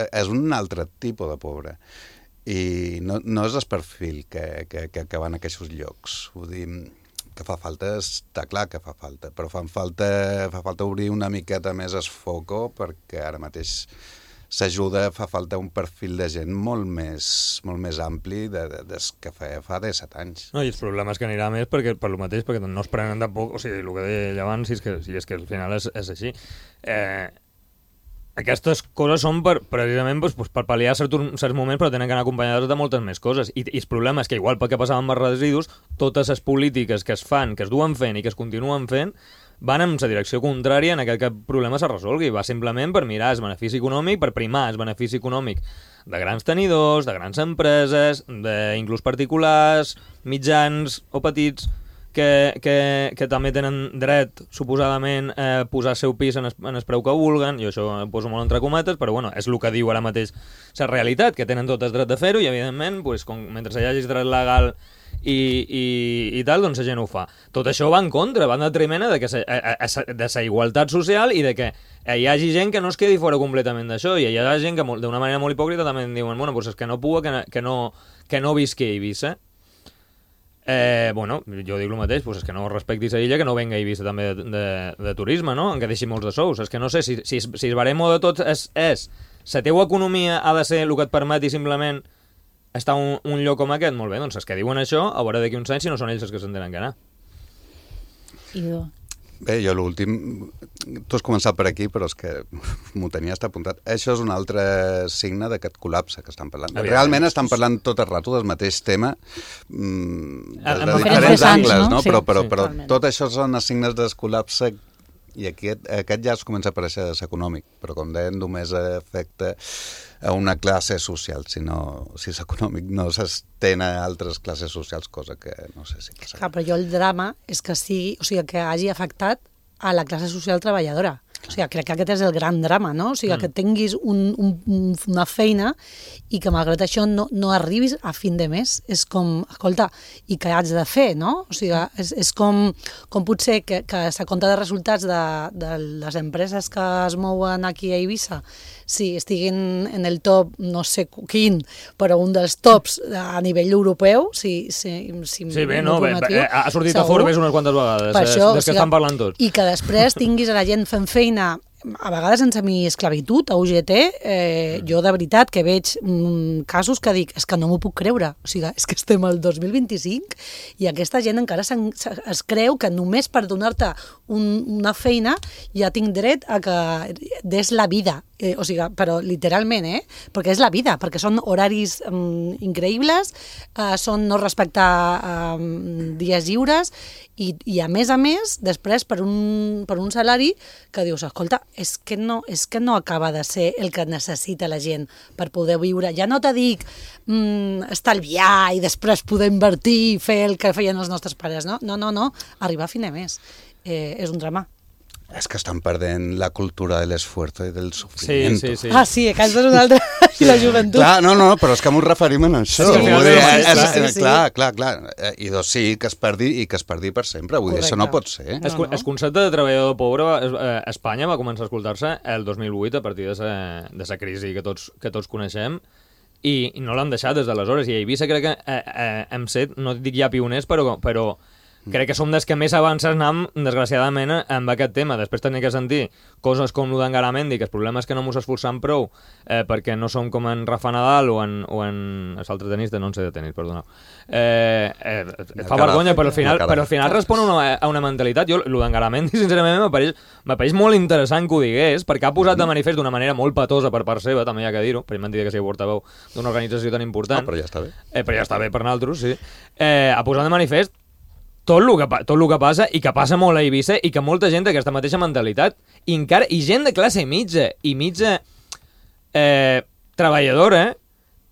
Speaker 18: És un altre tipus de pobre. I no, no és el perfil que, que, que, que van a aquests llocs. Vull dir, que fa falta, està clar que fa falta, però fan falta, fa falta obrir una miqueta més el foco, perquè ara mateix s'ajuda, fa falta un perfil de gent molt més, molt més ampli de, de, des que feia fa disset anys.
Speaker 16: No, i els problemes que anirà més perquè, per lo mateix, perquè no es prenen tampoc, o sigui, el que deia abans, si és que, si és que al final és, és així. Eh, Aquestes coses són per, precisament doncs, per pal·liar certs, certs moments, però tenen que anar acompanyades de moltes més coses. I, i el problema és que, igual pel que passava amb els residus, totes les polítiques que es fan, que es duen fent i que es continuen fent, van en la direcció contrària en aquest que el problema se resolgui. Va simplement per mirar el benefici econòmic, per primar el benefici econòmic de grans tenidors, de grans empreses, d'inclús particulars, mitjans o petits, que, que, que també tenen dret, suposadament, a posar el seu pis en el, en el preu que vulguen. Jo això ho poso molt entre cometes, però bueno, és el que diu ara mateix la realitat, que tenen tot el dret de fer-ho i, evidentment, pues, com, mentre hi hagi dret legal i, i, i tal, doncs la gent ho fa. Tot això va en contra, va en detriment de, que se, a, a, de la igualtat social i de que hi hagi gent que no es quedi fora completament d'això, i hi ha gent que d'una manera molt hipòcrita també diuen, bueno, pues és que no puga, que, que, no, que no visqui a Eivissa. Eh, bueno, jo dic el mateix, pues és que no respectis a illa, que no venga a Eivissa també de, de, de turisme, no? En què deixi molts de sous. És que no sé, si, si, si el baremo de tot és, és la teua economia ha de ser el que et permeti simplement estar un, un lloc com aquest, molt bé, doncs els que diuen això, a veure d'aquí uns anys si no són ells els que se'n tenen que anar.
Speaker 4: Idò.
Speaker 18: Bé, jo l'últim... Tu has començat per aquí, però és que m'ho tenia estat apuntat. Això és un altre signe d'aquest col·lapse que estan parlant. Aviam. Realment estan parlant tot el rato del mateix tema, mmm, de, de diferents angles, no? no? Sí, però, però, sí, però tot això són els signes del col·lapse i aquest, aquest ja es comença a aparèixer econòmic, però com deien, només afecta a una classe social, si, no, si és econòmic no s'estén a altres classes socials, cosa que no sé si passa.
Speaker 17: Clar, però jo el drama és que sigui, o sigui, que hagi afectat a la classe social treballadora. O sigui, crec que aquest és el gran drama, no? O sigui, mm. que tinguis un, un, una feina i que malgrat això no, no arribis a fin de mes. És com, escolta, i què haig de fer, no? O sigui, és, és com, com pot ser que, que la compta de resultats de, de les empreses que es mouen aquí a Eivissa, sí, estiguin en el top, no sé quin, però un dels tops a nivell europeu, si, si, si
Speaker 16: sí, bé, no, bé, bé, ha sortit segur, a Forbes unes quantes vegades, per això, des que o sigui, estan parlant tots.
Speaker 17: I que després tinguis a la gent fent feina a vegades en semi-esclavitud, a U G T, eh, jo de veritat que veig mm, casos que dic, és que no m'ho puc creure, o sigui, és que estem al dos mil vint-i-cinc i aquesta gent encara es creu que només per donar-te un, una feina ja tinc dret a que des la vida, eh, o sigui, però literalment, eh? Perquè és la vida, perquè són horaris mm, increïbles, eh, són no respectar eh, dies lliures i, i a més a més, després per un, per un salari que dius, escolta, és que, no, és que no acaba de ser el que necessita la gent per poder viure. Ja no te dic mm, estalviar i després poder invertir i fer el que feien els nostres pares, no? No, no, no, arribar a fin de mes. Eh, és un drama.
Speaker 18: És que estan perdent la cultura de l'esfuerzo i del sofriment.
Speaker 16: Sí, sí, sí.
Speaker 17: Ah, sí, que això és una altra... I la joventut.
Speaker 18: Clar, no, no, però és que m'ho referim a això.
Speaker 16: Sí,
Speaker 18: Vull dir,
Speaker 16: sí,
Speaker 18: és,
Speaker 16: sí,
Speaker 18: és,
Speaker 17: sí.
Speaker 18: clar, clar, clar. I dos, sí, que es perdi i que es perdi per sempre. Vull dir, això no pot ser.
Speaker 16: El,
Speaker 17: No, no.
Speaker 16: el concepte de treballador pobre a Espanya va començar a escoltar-se el dos mil vuit a partir de la crisi que tots, que tots coneixem i, i no l'han deixat des d'aleshores. I a Eivissa crec que eh, eh, hem set, no dic ja pioners, però, però crec que som dels que més avances anem, desgraciadament, amb aquest tema. Després tenir que sentir coses com el d'Engaramendi, que el problema és que no mos esforçam prou eh, perquè no som com en Rafa Nadal o en, o en l'altre tenista, no en sé de tenis, perdoneu. Eh, eh, fa vergonya, però al final, però al final respon a una, a una mentalitat. Jo, el d'Engaramendi, sincerament, m'apareix m'apareix molt interessant que ho digués, perquè ha posat de manifest d'una manera molt patosa per part seva, també hi ha que dir-ho, per mentida que sigui portaveu d'una organització tan important.
Speaker 18: Ah, però ja està bé.
Speaker 16: Eh, però ja està bé per nosaltres, sí. Eh, ha posat de manifest tot el, que, tot el que passa, i que passa molt a Eivissa, i que molta gent té aquesta mateixa mentalitat, i, encara, i gent de classe mitja, i mitja eh, treballadora,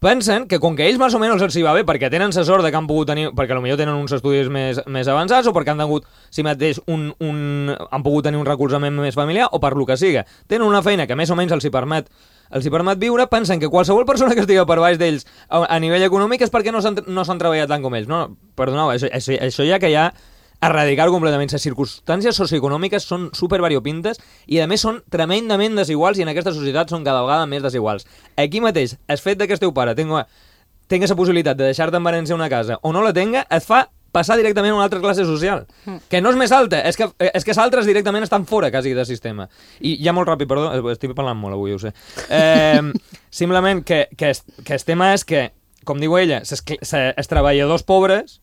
Speaker 16: pensen que com que ells més o menys els hi va bé, perquè tenen la sort de que han pogut tenir, perquè potser tenen uns estudis més, més avançats, o perquè han tingut, si mateix, un, un, han pogut tenir un recolzament més familiar, o per lo que siga. Tenen una feina que més o menys els hi permet els hi permet viure, pensen que qualsevol persona que estigui per baix d'ells a, a nivell econòmic és perquè no s'han no s'han treballat tant com ells. No, perdoneu, això, això, això ja que hi ha erradicar completament. Les circumstàncies socioeconòmiques són supervariopintes i a més són tremendament desiguals, i en aquesta societat són cada vegada més desiguals. Aquí mateix, el fet que el teu pare tenga, tenga la possibilitat de deixar-te en herència una casa o no la tenga, et fa passar directament a una altra classe social, que no és més alta, és que, és que els altres directament estan fora quasi del sistema. I ja molt ràpid, perdó, estic parlant molt avui, ho sé. Eh, simplement que, que, que el tema és que, com diu ella, els treballadors pobres,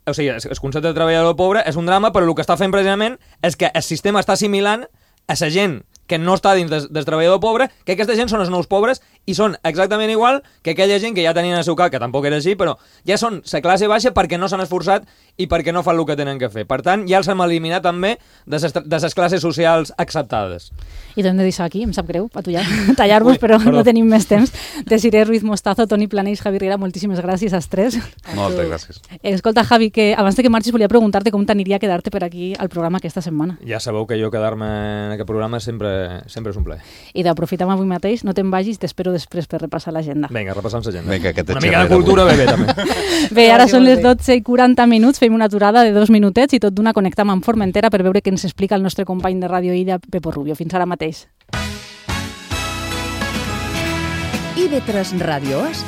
Speaker 16: o sigui, el concepte de treballador pobre és un drama, però el que està fent precisament és que el sistema està assimilant a la gent que no està dins del, del treballador pobre, que aquesta gent són els nous pobres i són exactament igual que aquella gent que ja tenien el seu cap, que tampoc era així, però ja són la classe baixa perquè no s'han esforçat i perquè no fan el que tenen que fer. Per tant, ja els hem eliminat també de les classes socials acceptades.
Speaker 4: I t'hem de deixar aquí, em sap greu, tallar-vos, però perdó. No tenim més temps. Desiré Ruiz Mostazo, Toni Planells, Javi Riera, moltíssimes gràcies als tres.
Speaker 18: Moltes gràcies.
Speaker 4: Escolta, Javi, que abans de que marxis volia preguntar-te com t'aniria quedar-te per aquí al programa aquesta setmana.
Speaker 16: Ja sabeu que jo quedar-me en aquest programa sempre, sempre és un plaer.
Speaker 4: I d'aprofitar avui mateix, no te'n vagis, t'espero després per repassar l'agenda.
Speaker 16: Vinga, repassant l'agenda.
Speaker 18: Vinga, que
Speaker 16: una mica de cultura bé, bé, també.
Speaker 4: Bé, ara són les dotze i quaranta minuts, fem una aturada de dos minutets i tot d'una connectam amb Formentera per veure què ens explica el nostre company de Ràdio Illa, Pepo Rubio. Fins ara mateix.
Speaker 2: I V tres Ràdio És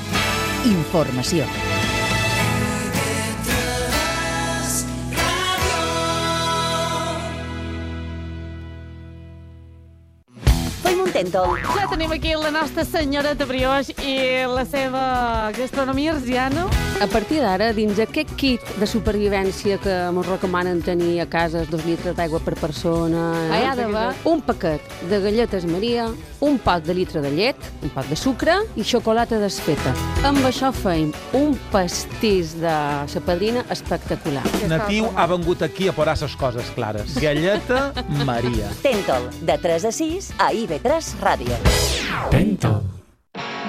Speaker 2: informació.
Speaker 13: Tentol.
Speaker 19: Ja tenim aquí la nostra senyora de brioix i la seva gastronomia arsiana.
Speaker 20: A partir d'ara, dins aquest kit de supervivència que ens recomanen tenir a casa, dos litres d'aigua per persona, hi ha d'haver un paquet de galletes Maria, un pot de litre de llet, un pot de sucre i xocolata desfeta. Amb això feim un pastís de sa padrina espectacular.
Speaker 21: Natiu ha vengut aquí a posar les coses clares. Galleta Maria.
Speaker 13: Tentol, de tres a sis a I V tres Ràdio.
Speaker 21: Tentol.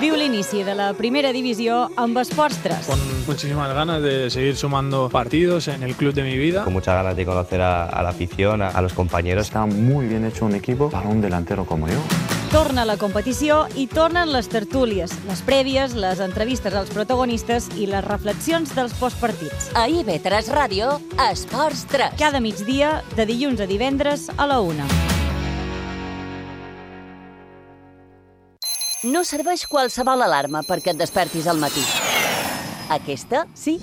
Speaker 3: Viu l'inici de la primera divisió amb Esports tres.
Speaker 22: Con muchísimas ganas de seguir sumando partidos en el club de mi vida.
Speaker 23: Con muchas ganas de conocer a, a la afición, a, a los compañeros.
Speaker 24: Está muy bien hecho un equipo para un delantero como yo.
Speaker 3: Torna la competició i tornen les tertúlies, les prèvies, les entrevistes als protagonistes i les reflexions dels postpartits.
Speaker 13: A I V tres Ràdio, Esports tres.
Speaker 3: Cada migdia, de dilluns a divendres a la una.
Speaker 13: No serveix qualsevol alarma perquè et despertis al matí. Aquesta, sí.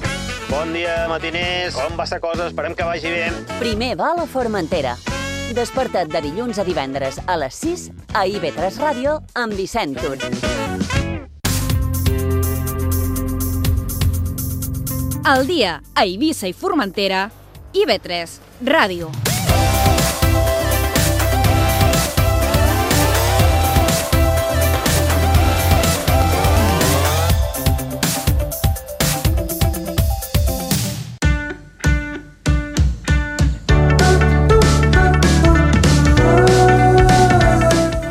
Speaker 25: Bon dia, matiners. Com va la cosa? Esperem que vagi bé.
Speaker 13: Primer va a la Formentera. Desperta't de dilluns a divendres a les sis a I V tres Ràdio amb Vicent Tur.
Speaker 3: Al dia a Eivissa i Formentera, I V tres Ràdio.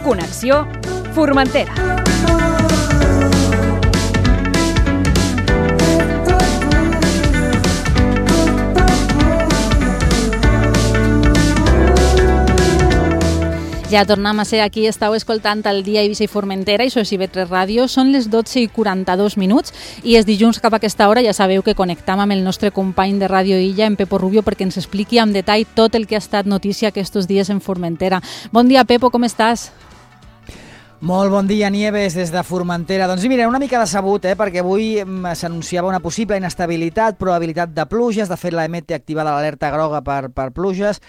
Speaker 3: Connexió Formentera.
Speaker 4: Ja tornem a ser aquí, estàu escoltant el dia Eivissa i Formentera, i això és I V tres Ràdio. Són les dotze i quaranta-dos minuts i és dilluns cap a aquesta hora. Ja sabeu que connectam amb el nostre company de Ràdio Illa, en Pepo Rubio, perquè ens expliqui amb detall tot el que ha estat notícia aquests dies en Formentera. Bon dia, Pepo, com estàs?
Speaker 1: Molt bon dia, Nieves, des de Formentera. Doncs mira, una mica decebut, eh, perquè avui s'anunciava una possible inestabilitat, probabilitat de pluges. De fet, l'A M té activada l'alerta groga per, per pluges,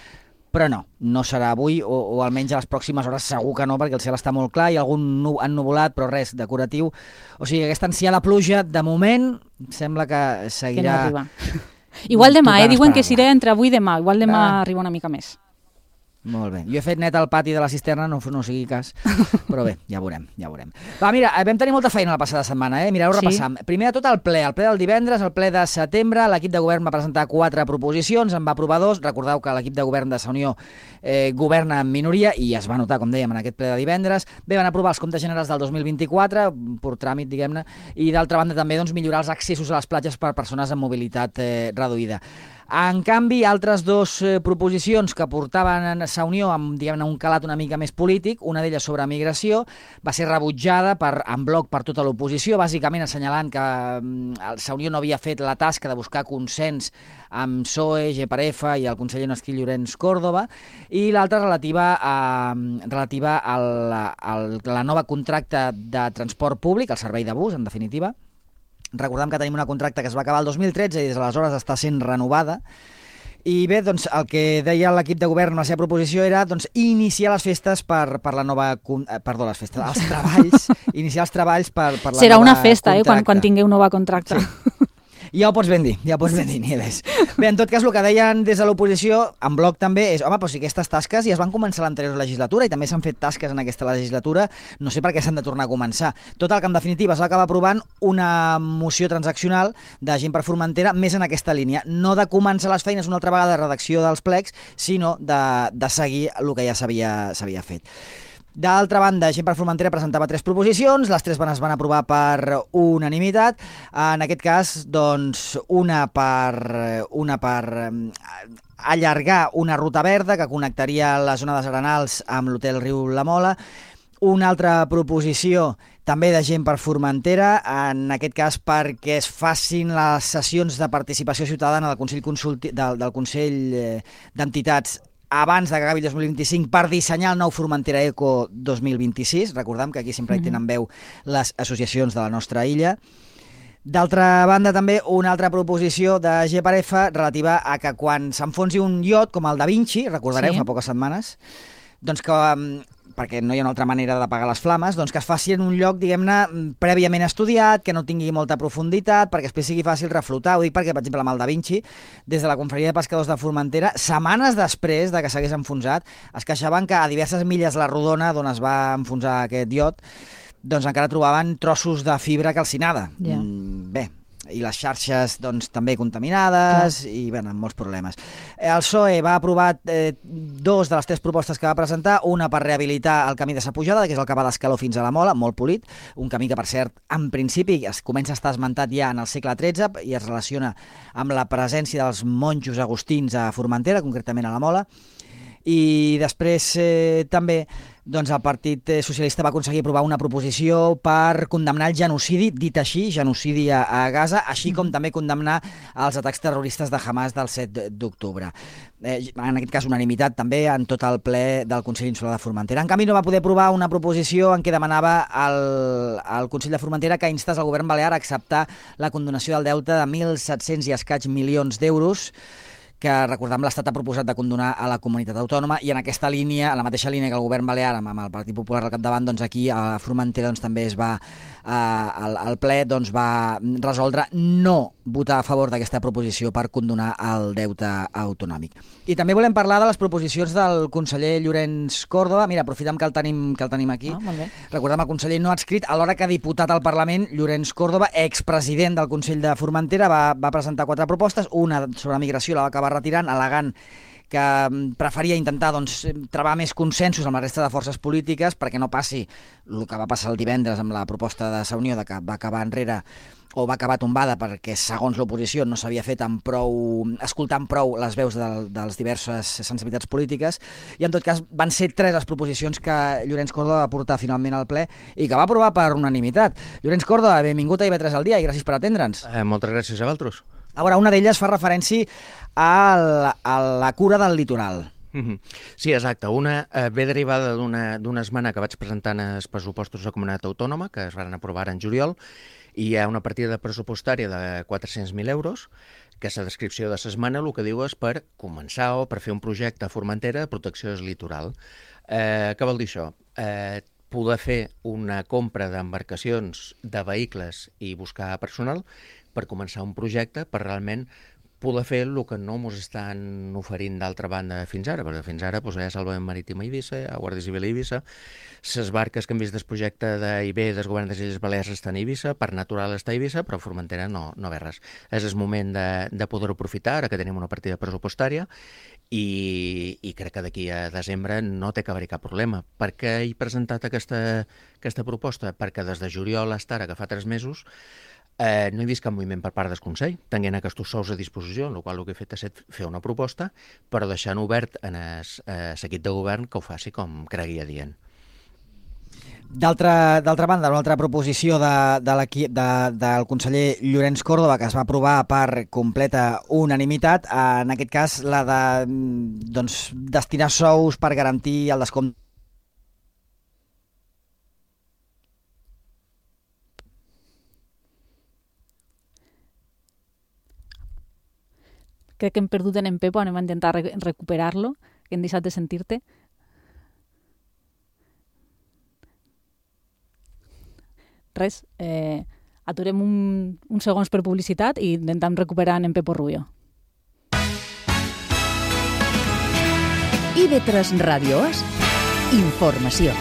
Speaker 1: però no, no serà avui, o, o almenys a les pròximes hores segur que no, perquè el cel està molt clar, hi ha algun nu ennuvolat, però res decoratiu. O sigui, aquesta ansiada pluja, de moment, sembla que seguirà...
Speaker 4: Que no arriba. Igual demà, eh? Diuen que serà entre avui i demà. Igual demà ah. arriba una mica més.
Speaker 1: Molt bé. Jo he fet net al pati de la cisterna, no, no sigui cas, però bé, ja veurem, ja veurem. Va, mira, vam tenir molta feina la passada setmana, eh? Mireu, repassam. Sí. Primer de tot el ple, el ple del divendres, el ple de setembre, l'equip de govern va presentar quatre proposicions, en va aprovar dos. Recordeu que l'equip de govern de Sa Unió eh, governa en minoria i es va notar, com dèiem, en aquest ple de divendres. Bé, van aprovar els comptes generals del dos mil vint-i-quatre, per tràmit, diguem-ne, i d'altra banda també doncs, millorar els accessos a les platges per persones amb mobilitat eh, reduïda. En canvi, altres dues eh, proposicions que portaven a Sa Unió amb, diguem-ne, un calat una mica més polític, una d'elles sobre migració, va ser rebutjada per, en bloc per tota l'oposició, bàsicament assenyalant que eh, Sa Unió no havia fet la tasca de buscar consens amb P S O E, G P R F i el conseller Nasquí Llorenç Córdoba, i l'altra relativa a, relativa al, al la nova contracte de transport públic, el servei de bus, en definitiva. Recordem que tenim una contracte que es va acabar el dos mil tretze i des d'aleshores està sent renovada. I bé, doncs, el que deia l'equip de govern en la seva proposició era doncs, iniciar les festes per, per la nova... Eh, perdó, les festes, els treballs, iniciar els treballs per, per la
Speaker 4: Serà
Speaker 1: nova
Speaker 4: una festa,
Speaker 1: contracte.
Speaker 4: eh, quan, quan tingueu nova contracte.
Speaker 1: Sí. Ja ho pots ben dir, ja ho pots ben dir, Nieves. Bé, en tot cas, el que deien des de l'oposició, en bloc també, és, home, però si aquestes tasques ja es van començar a l'anterior legislatura i també s'han fet tasques en aquesta legislatura, no sé per què s'han de tornar a començar. Total, que en definitiva es va acabar aprovant una moció transaccional de Gent per Formentera més en aquesta línia, no de començar les feines una altra vegada de redacció dels plecs, sinó de, de seguir el que ja s'havia fet. D'altra banda, Gent per Formentera presentava tres proposicions, les tres es van aprovar per unanimitat. En aquest cas, doncs, una per, una per allargar una ruta verda que connectaria la zona dels Arenals amb l'hotel Riu La Mola. Una altra proposició també de Gent per Formentera, en aquest cas perquè es facin les sessions de participació ciutadana del Consell, Consulti, del, del Consell d'Entitats abans de que acabi el dos mil vint-i-cinc per dissenyar el nou Formentera Eco dos mil vint-i-sis. Recordem que aquí sempre hi tenen veu les associacions de la nostra illa. D'altra banda, també una altra proposició de G P R F relativa a que quan s'enfonsi un iot, com el Da Vinci, recordareu, sí. fa poques setmanes, doncs que, perquè no hi ha una altra manera d'apagar les flames, doncs que es faci en un lloc, diguem-ne, prèviament estudiat, que no tingui molta profunditat, perquè després sigui fàcil reflotar. Ho dic perquè, per exemple, amb el Da Vinci, des de la Confraria de Pescadors de Formentera, setmanes després de que s'hagués enfonsat, es queixaven que a diverses milles la rodona d'on es va enfonsar aquest iot, doncs encara trobaven trossos de fibra calcinada. Yeah. Mm, bé, i les xarxes doncs, també contaminades. Clar. I bé, amb molts problemes. El P S O E va aprovar eh, dos de les tres propostes que va presentar, una per rehabilitar el camí de Sa Pujada, que és el que va d'Escaló fins a la Mola, molt polit, un camí que, per cert, en principi es comença a estar esmentat ja en el segle tretze i es relaciona amb la presència dels monjos agustins a Formentera, concretament a la Mola. I després eh, també doncs, el Partit Socialista va aconseguir aprovar una proposició per condemnar el genocidi, dit així, genocidi a, a Gaza, així com també condemnar els atacs terroristes de Hamas del set d'octubre. Eh, en aquest cas, unanimitat també en tot el ple del Consell Insular de Formentera. En canvi, no va poder aprovar una proposició en què demanava al, al Consell de Formentera que instés al govern balear a acceptar la condonació del deute de mil set-cents i escaig milions d'euros que, recordem, l'Estat ha proposat de condonar a la comunitat autònoma, i en aquesta línia, en la mateixa línia que el govern balear amb, amb el Partit Popular al capdavant, doncs aquí a Formentera doncs, també es va, eh, el, el ple doncs, va resoldre no votar a favor d'aquesta proposició per condonar el deute autonòmic. I també volem parlar de les proposicions del conseller Llorenç Córdoba. Mira, aprofitem que el tenim, que el tenim aquí.
Speaker 4: Ah, molt bé.
Speaker 1: Recordem el conseller no adscrit, alhora que diputat al Parlament, Llorenç Córdoba, expresident del Consell de Formentera, va, va presentar quatre propostes, una sobre migració la va acabar retirant, al·legant que preferia intentar doncs, trobar més consensos amb la resta de forces polítiques perquè no passi el que va passar el divendres amb la proposta de Sa Unió, de que va acabar enrere o va acabar tombada perquè, segons l'oposició, no s'havia fet amb prou, escoltant prou les veus de, de les diverses sensibilitats polítiques, i en tot cas van ser tres les proposicions que Llorenç Córdoba va portar finalment al ple i que va aprovar per unanimitat. Llorenç Córdoba, benvingut a I V tres al dia i gràcies per atendre'ns.
Speaker 5: Eh, moltes gràcies a vosaltres.
Speaker 1: A veure, una d'elles fa referència a la, a la cura del litoral.
Speaker 5: Sí, exacte. Una eh, ve derivada d'una esmena que vaig presentar en els pressupostos de Comunitat Autònoma, que es van aprovar en juliol, i hi ha una partida pressupostària de quatre-cents mil euros, que és la descripció de l'esmena, el que diu és per començar o per fer un projecte a Formentera de protecció del litoral. Eh, què vol dir això? Eh, poder fer una compra d'embarcacions, de vehicles i buscar personal per començar un projecte per realment poder fer el que no ens estan oferint d'altra banda fins ara, perquè fins ara doncs, hi ha Salvament Marítim a Eivissa, hi ha Guàrdia Civil a Eivissa, les barques que han vist del projecte d'I B del govern de les Illes Balears estan a Eivissa, Parc Natural està a Eivissa, però a Formentera no, no ve res. És el moment de, de poder-ho aprofitar, ara que tenim una partida pressupostària, i, i crec que d'aquí a desembre no té que haver-hi cap problema. Per què he presentat aquesta, aquesta proposta? Perquè des de juliol a ara, que fa tres mesos, Eh, no he vist cap moviment per part del Consell, tenint aquests sous a disposició, en el qual el que he fet és fer una proposta, però deixant obert en l'equip de govern que ho faci com cregui adient.
Speaker 1: D'altra banda, una altra proposició de, de de, del conseller Llorenç Córdoba, que es va aprovar per completa unanimitat, en aquest cas la de doncs, destinar sous per garantir el descompte.
Speaker 4: Crec que hem perdut en Pepo, anem a intentar re recuperar-lo, que hem deixat de sentir-te. Res, eh, aturem un, uns segons per publicitat i intentem recuperar en Pepo Rubio.
Speaker 2: I V tres Ràdio és informació.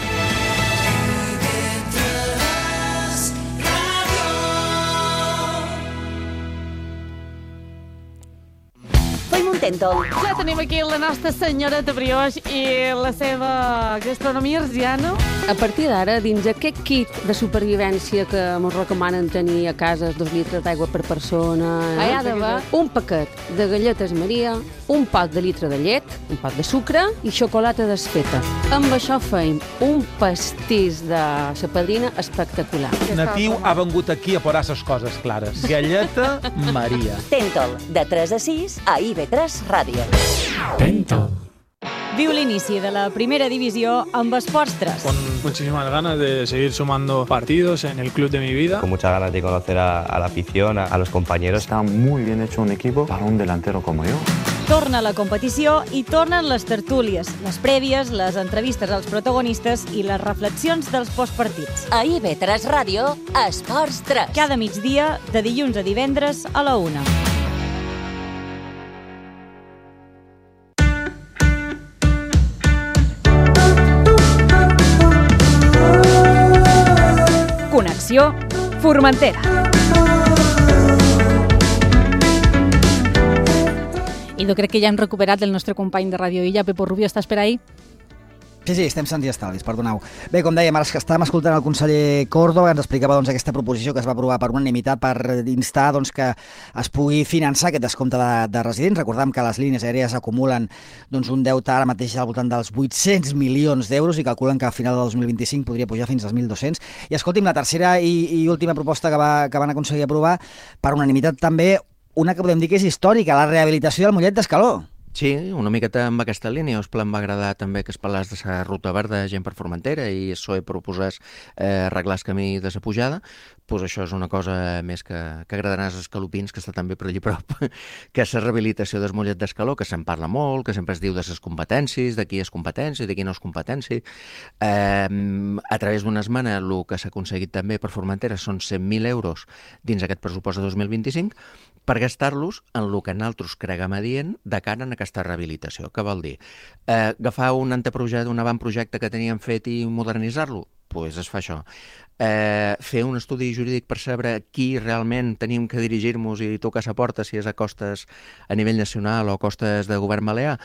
Speaker 19: Ja tenim aquí la nostra senyoreta Brioix i la seva gastronomia arsiana.
Speaker 20: A partir d'ara, dins aquest kit de supervivència que ens recomanen tenir a casa, dos litres d'aigua per persona, hi ha d'haver un paquet de galletes Maria, un pot de litre de llet, un pot de sucre i xocolata desfeta. Amb això feim un pastís de sa padrina espectacular.
Speaker 21: Natiu ha vengut aquí a posar les coses clares. Galleta Maria.
Speaker 13: Tentol, de tres a sis a I V tres Ràdio.
Speaker 3: Tentol. Viu l'inici de la primera divisió amb Esports tres.
Speaker 22: Con muchísimas ganas de seguir sumando partidos en el club de mi vida.
Speaker 23: Con muchas ganas de conocer a, a la afición, a, a los compañeros.
Speaker 24: Está muy bien hecho un equipo para un delantero como yo.
Speaker 3: Torna la competició i tornen les tertúlies, les prèvies, les entrevistes als protagonistes i les reflexions dels postpartits.
Speaker 13: A I V tres Ràdio, Esports tres.
Speaker 3: Cada migdia, de dilluns a divendres a la una. Connexió Formentera.
Speaker 4: I jo crec que ja hem recuperat el nostre company de Ràdio Illa, Pepo Rubio, estàs per ahí?
Speaker 1: Sí, sí, estem sants i estalvis, perdoneu. Bé, com dèiem, ara estàvem escoltant el conseller Córdoba, que ens explicava doncs, aquesta proposició que es va aprovar per unanimitat per instar doncs, que es pugui finançar aquest descompte de, de residents. Recordem que les línies aèries acumulen doncs, un deute ara mateix al voltant dels vuit-cents milions d'euros i calculen que al final del dos mil vint-i-cinc podria pujar fins als mil dos-cents. I escolti'm, la tercera i, i última proposta que, va, que van aconseguir aprovar per unanimitat també, una que podem dir que és històrica, la rehabilitació del Mollet d'Escaló.
Speaker 5: Sí, una miqueta amb aquesta línia. Us em va agradar també que es parlés de la ruta verda gent per Formentera i el P S O E proposés eh, arreglar el camí de la pujada. Pues això és una cosa més que, que agradarà als escalopins, que està també per allà prop, que és la rehabilitació del Mollet d'Escaló, que se'n parla molt, que sempre es diu de les competències, de qui és competència, de qui no és competència. Eh, a través d'una esmena, el que s'ha aconseguit també per Formentera són cent mil euros dins aquest pressupost de dos mil vint-i-cinc per gastar-los en el que nosaltres creguem adient de cara en aquesta rehabilitació. Què vol dir? Eh, agafar un anteprojecte, un avantprojecte que teníem fet i modernitzar-lo? pues es fa això. Eh, fer un estudi jurídic per saber qui realment tenim que dirigir-nos i tocar sa porta, si és a costes a nivell nacional o a costes de govern balear,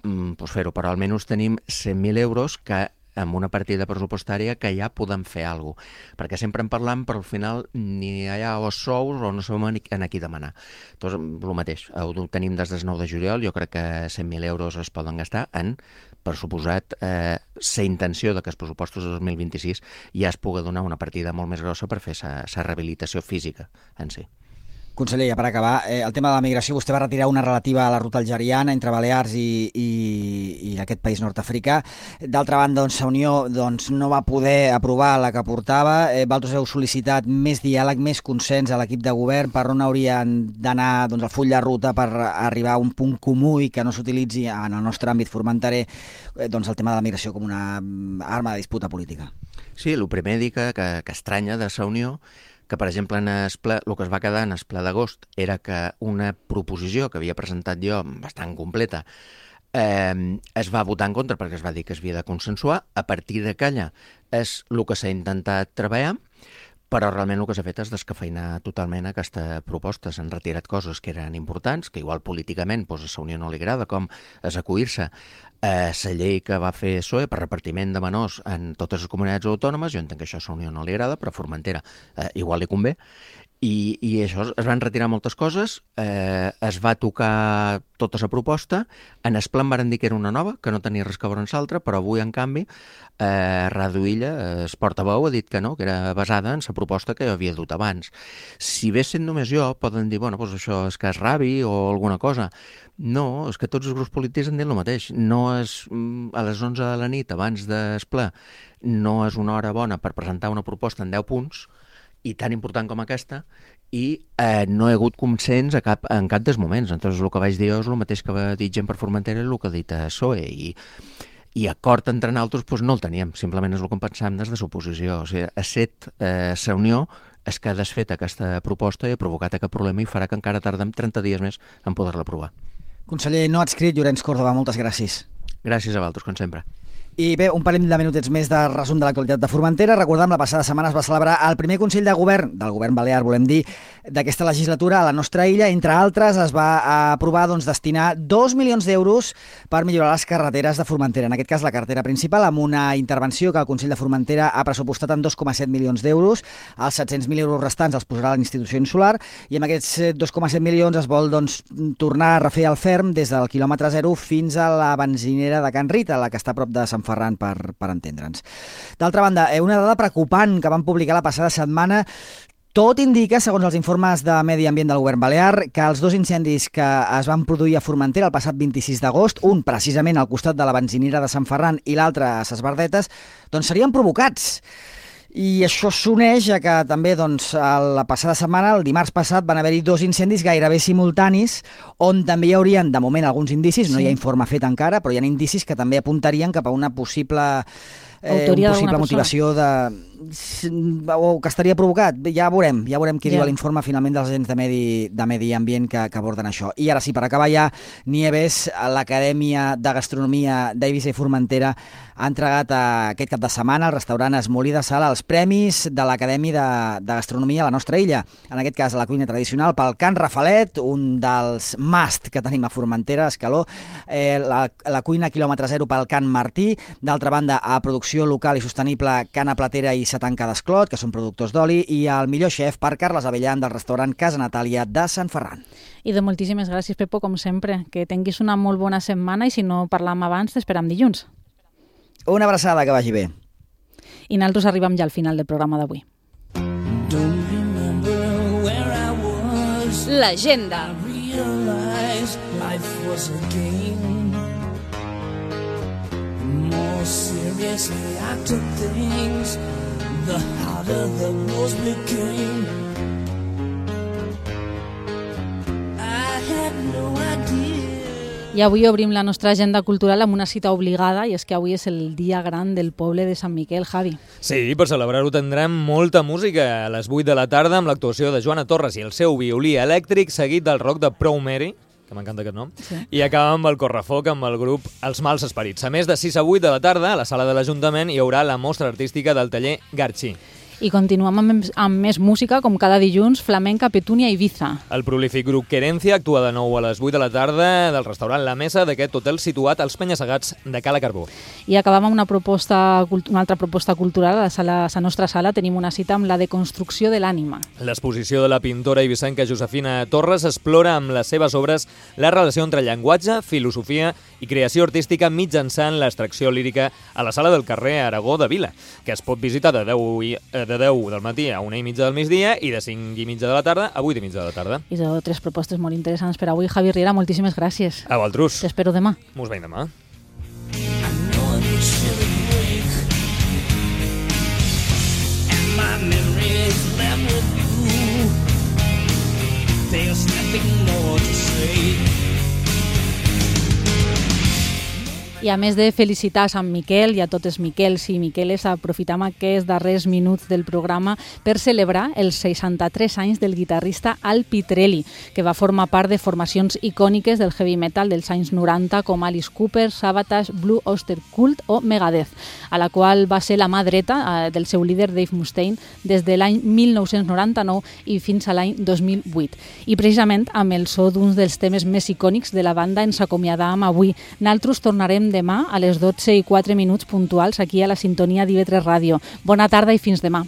Speaker 5: mm, pues fer-ho, però almenys tenim cent mil euros que amb una partida pressupostària que ja podem fer alguna cosa. Perquè sempre en parlam, però al final ni hi ha os sous o no sabem en a qui demanar. Doncs el mateix, ho tenim des del nou de juliol, jo crec que cent mil euros es poden gastar en, per suposat, eh, la intenció de que els pressupostos de dos mil vint-i-sis ja es pugui donar una partida molt més grossa per fer la rehabilitació física en si.
Speaker 1: Conseller, ja per acabar, eh, el tema de la migració, vostè va retirar una relativa a la ruta algeriana entre Balears i, i, i aquest país nord-africà. D'altra banda, doncs, la Unió doncs, no va poder aprovar la que portava. Eh, vosaltres heu sol·licitat més diàleg, més consens a l'equip de govern per on haurien d'anar doncs, el full de ruta per arribar a un punt comú i que no s'utilitzi en el nostre àmbit formentaré eh, doncs, el tema de la migració com una arma de disputa política.
Speaker 5: Sí, el primer dir que, que, que estranya de la Unió que, per exemple, en el, ple, el que es va quedar en el ple d'agost era que una proposició que havia presentat jo, bastant completa, eh, es va votar en contra perquè es va dir que es havia de consensuar. A partir de calla és el que s'ha intentat treballar, però realment el que s'ha fet és descafeinar totalment aquesta proposta. S'han retirat coses que eren importants, que igual políticament doncs, a la Unió no li agrada, com és acollir-se a la llei que va fer P S O E per repartiment de menors en totes les comunitats autònomes. Jo entenc que això a la Unió no li agrada, però a Formentera eh, igual li convé. I, i això, es van retirar moltes coses, eh, es va tocar tota la proposta, en el plan van dir que era una nova, que no tenia res que veure amb l'altra, però avui, en canvi, eh, Radu Illa, el portaveu, ha dit que no, que era basada en la proposta que jo havia dut abans. Si bé sent només jo, poden dir, bueno, doncs això és que és rabi o alguna cosa. No, és que tots els grups polítics han dit el mateix. No és a les onze de la nit, abans del ple, no és una hora bona per presentar una proposta en deu punts, i tan important com aquesta, i eh, no hi ha hagut consens a cap, en cap dels moments. Entonces, el que vaig dir jo és el mateix que va dir gent per Formentera i el que ha dit a P S O E, i, i acord entre nosaltres doncs, no el teníem, simplement és el que pensàvem des de l'oposició. O sigui, a set eh, la Unió és que ha desfet aquesta proposta i ha provocat aquest problema i farà que encara tardem trenta dies més en poder-la aprovar.
Speaker 1: Conseller no adscrit, Llorenç Córdoba, moltes gràcies.
Speaker 5: Gràcies a vosaltres, com sempre.
Speaker 1: I bé, un parell de minutets més de resum de l'actualitat de Formentera. Recordem, la passada setmana es va celebrar el primer Consell de Govern, del govern balear, volem dir, d'aquesta legislatura a la nostra illa. Entre altres, es va aprovar doncs, destinar dos milions d'euros per millorar les carreteres de Formentera. En aquest cas, la carretera principal, amb una intervenció que el Consell de Formentera ha pressupostat en dos coma set milions d'euros. Els set-cents mil euros restants els posarà l'Institució Insular i amb aquests dos coma set milions es vol doncs, tornar a refer el ferm des del quilòmetre zero fins a la benzinera de Can Rita, la que està a prop de Sant Ferran, per, per entendre'ns. D'altra banda, una dada preocupant que van publicar la passada setmana. Tot indica, segons els informes de Medi Ambient del govern balear, que els dos incendis que es van produir a Formentera el passat vint-i-sis d'agost, un precisament al costat de la benzinera de Sant Ferran i l'altre a Ses Verdetes, doncs serien provocats. I això s'uneix a que també doncs, la passada setmana, el dimarts passat, van haver-hi dos incendis gairebé simultanis, on també hi haurien, de moment, alguns indicis, sí. No hi ha informe fet encara, però hi ha indicis que també apuntarien cap a una possible, eh, una possible motivació de... o que estaria provocat. Ja veurem, ja veurem què yeah. diu l'informe finalment dels agents de medi, de medi ambient que, que aborden això. I ara sí, per acabar ja, Nieves, l'Acadèmia de Gastronomia d'Eivissa i Formentera ha entregat a, aquest cap de setmana al restaurant Esmolí de Sala els premis de l'Acadèmia de, de Gastronomia a la nostra illa. En aquest cas, la cuina tradicional pel Can Rafalet, un dels must que tenim a Formentera, a Escaló, eh, la, la cuina quilòmetre zero pel Can Martí, d'altra banda, a producció local i sostenible Cana Platera i Satanca d'Esclot, que són productors d'oli, i el millor xef per Carles Avellan del restaurant Casa Natàlia de Sant Ferran.
Speaker 4: I de moltíssimes gràcies, Pepo, com sempre. Que tinguis una molt bona setmana i si no parlam abans, t'esperam dilluns.
Speaker 1: Una abraçada, que vagi bé.
Speaker 4: I nosaltres arribem ja al final del programa d'avui.
Speaker 6: L'agenda. More seriously I took things, the harder the blows became. I had no idea.
Speaker 4: I avui obrim la nostra agenda cultural amb una cita obligada, i és que avui és el dia gran del poble de Sant Miquel, Javi.
Speaker 16: Sí, per celebrar-ho tindrem molta música a les vuit de la tarda amb l'actuació de Joana Torres i el seu violí elèctric, seguit del rock de Proud Mary, que m'encanta aquest nom,
Speaker 4: Sí.
Speaker 16: i acaba amb el correfoc amb el grup Els Mals Esperits. A més, de sis a vuit de la tarda, a la sala de l'Ajuntament hi haurà la mostra artística del taller Garchi.
Speaker 4: I continuem amb, amb més música, com cada dilluns, Flamenca, Petúnia i Ibiza.
Speaker 16: El prolífic grup Querencia actua de nou a les vuit de la tarda del restaurant La Mesa d'aquest hotel situat als Penya-segats de Cala Carbó.
Speaker 4: I acabam amb una, proposta, una altra proposta cultural. A la, sala, a la nostra sala tenim una cita amb la deconstrucció de l'ànima.
Speaker 16: L'exposició de la pintora ibicenca Josefina Torres explora amb les seves obres la relació entre llenguatge, filosofia i creació artística mitjançant l'extracció lírica a la sala del carrer Aragó de Vila, que es pot visitar de deu, i, de deu del matí a una i mitja del migdia i de cinc i mitja de la tarda a vuit i mitja de la tarda.
Speaker 4: I són tres propostes molt interessants per avui. Javi Riera, moltíssimes gràcies.
Speaker 16: A vosaltres.
Speaker 4: T'espero demà.
Speaker 16: Mos veiem demà.
Speaker 6: My memories left with you. There's nothing more to say.
Speaker 4: I a més de felicitar a Sant Miquel i a tots els Miquels i Miqueles, aprofitam aquests darrers minuts del programa per celebrar els seixanta-tres anys del guitarrista Al Pitrelli, que va formar part de formacions icòniques del heavy metal dels anys noranta com Alice Cooper, Savatage, Blue Oyster Cult o Megadeth, a la qual va ser la mà dreta eh, del seu líder Dave Mustaine des de l'any mil nou-cents noranta-nou i fins a l'any dos mil vuit. I precisament amb el so d'un dels temes més icònics de la banda ens acomiadam avui. Naltros tornarem demà a les dotze i quatre minuts puntuals aquí a la sintonia d'I V tres Ràdio. Bona tarda i fins demà.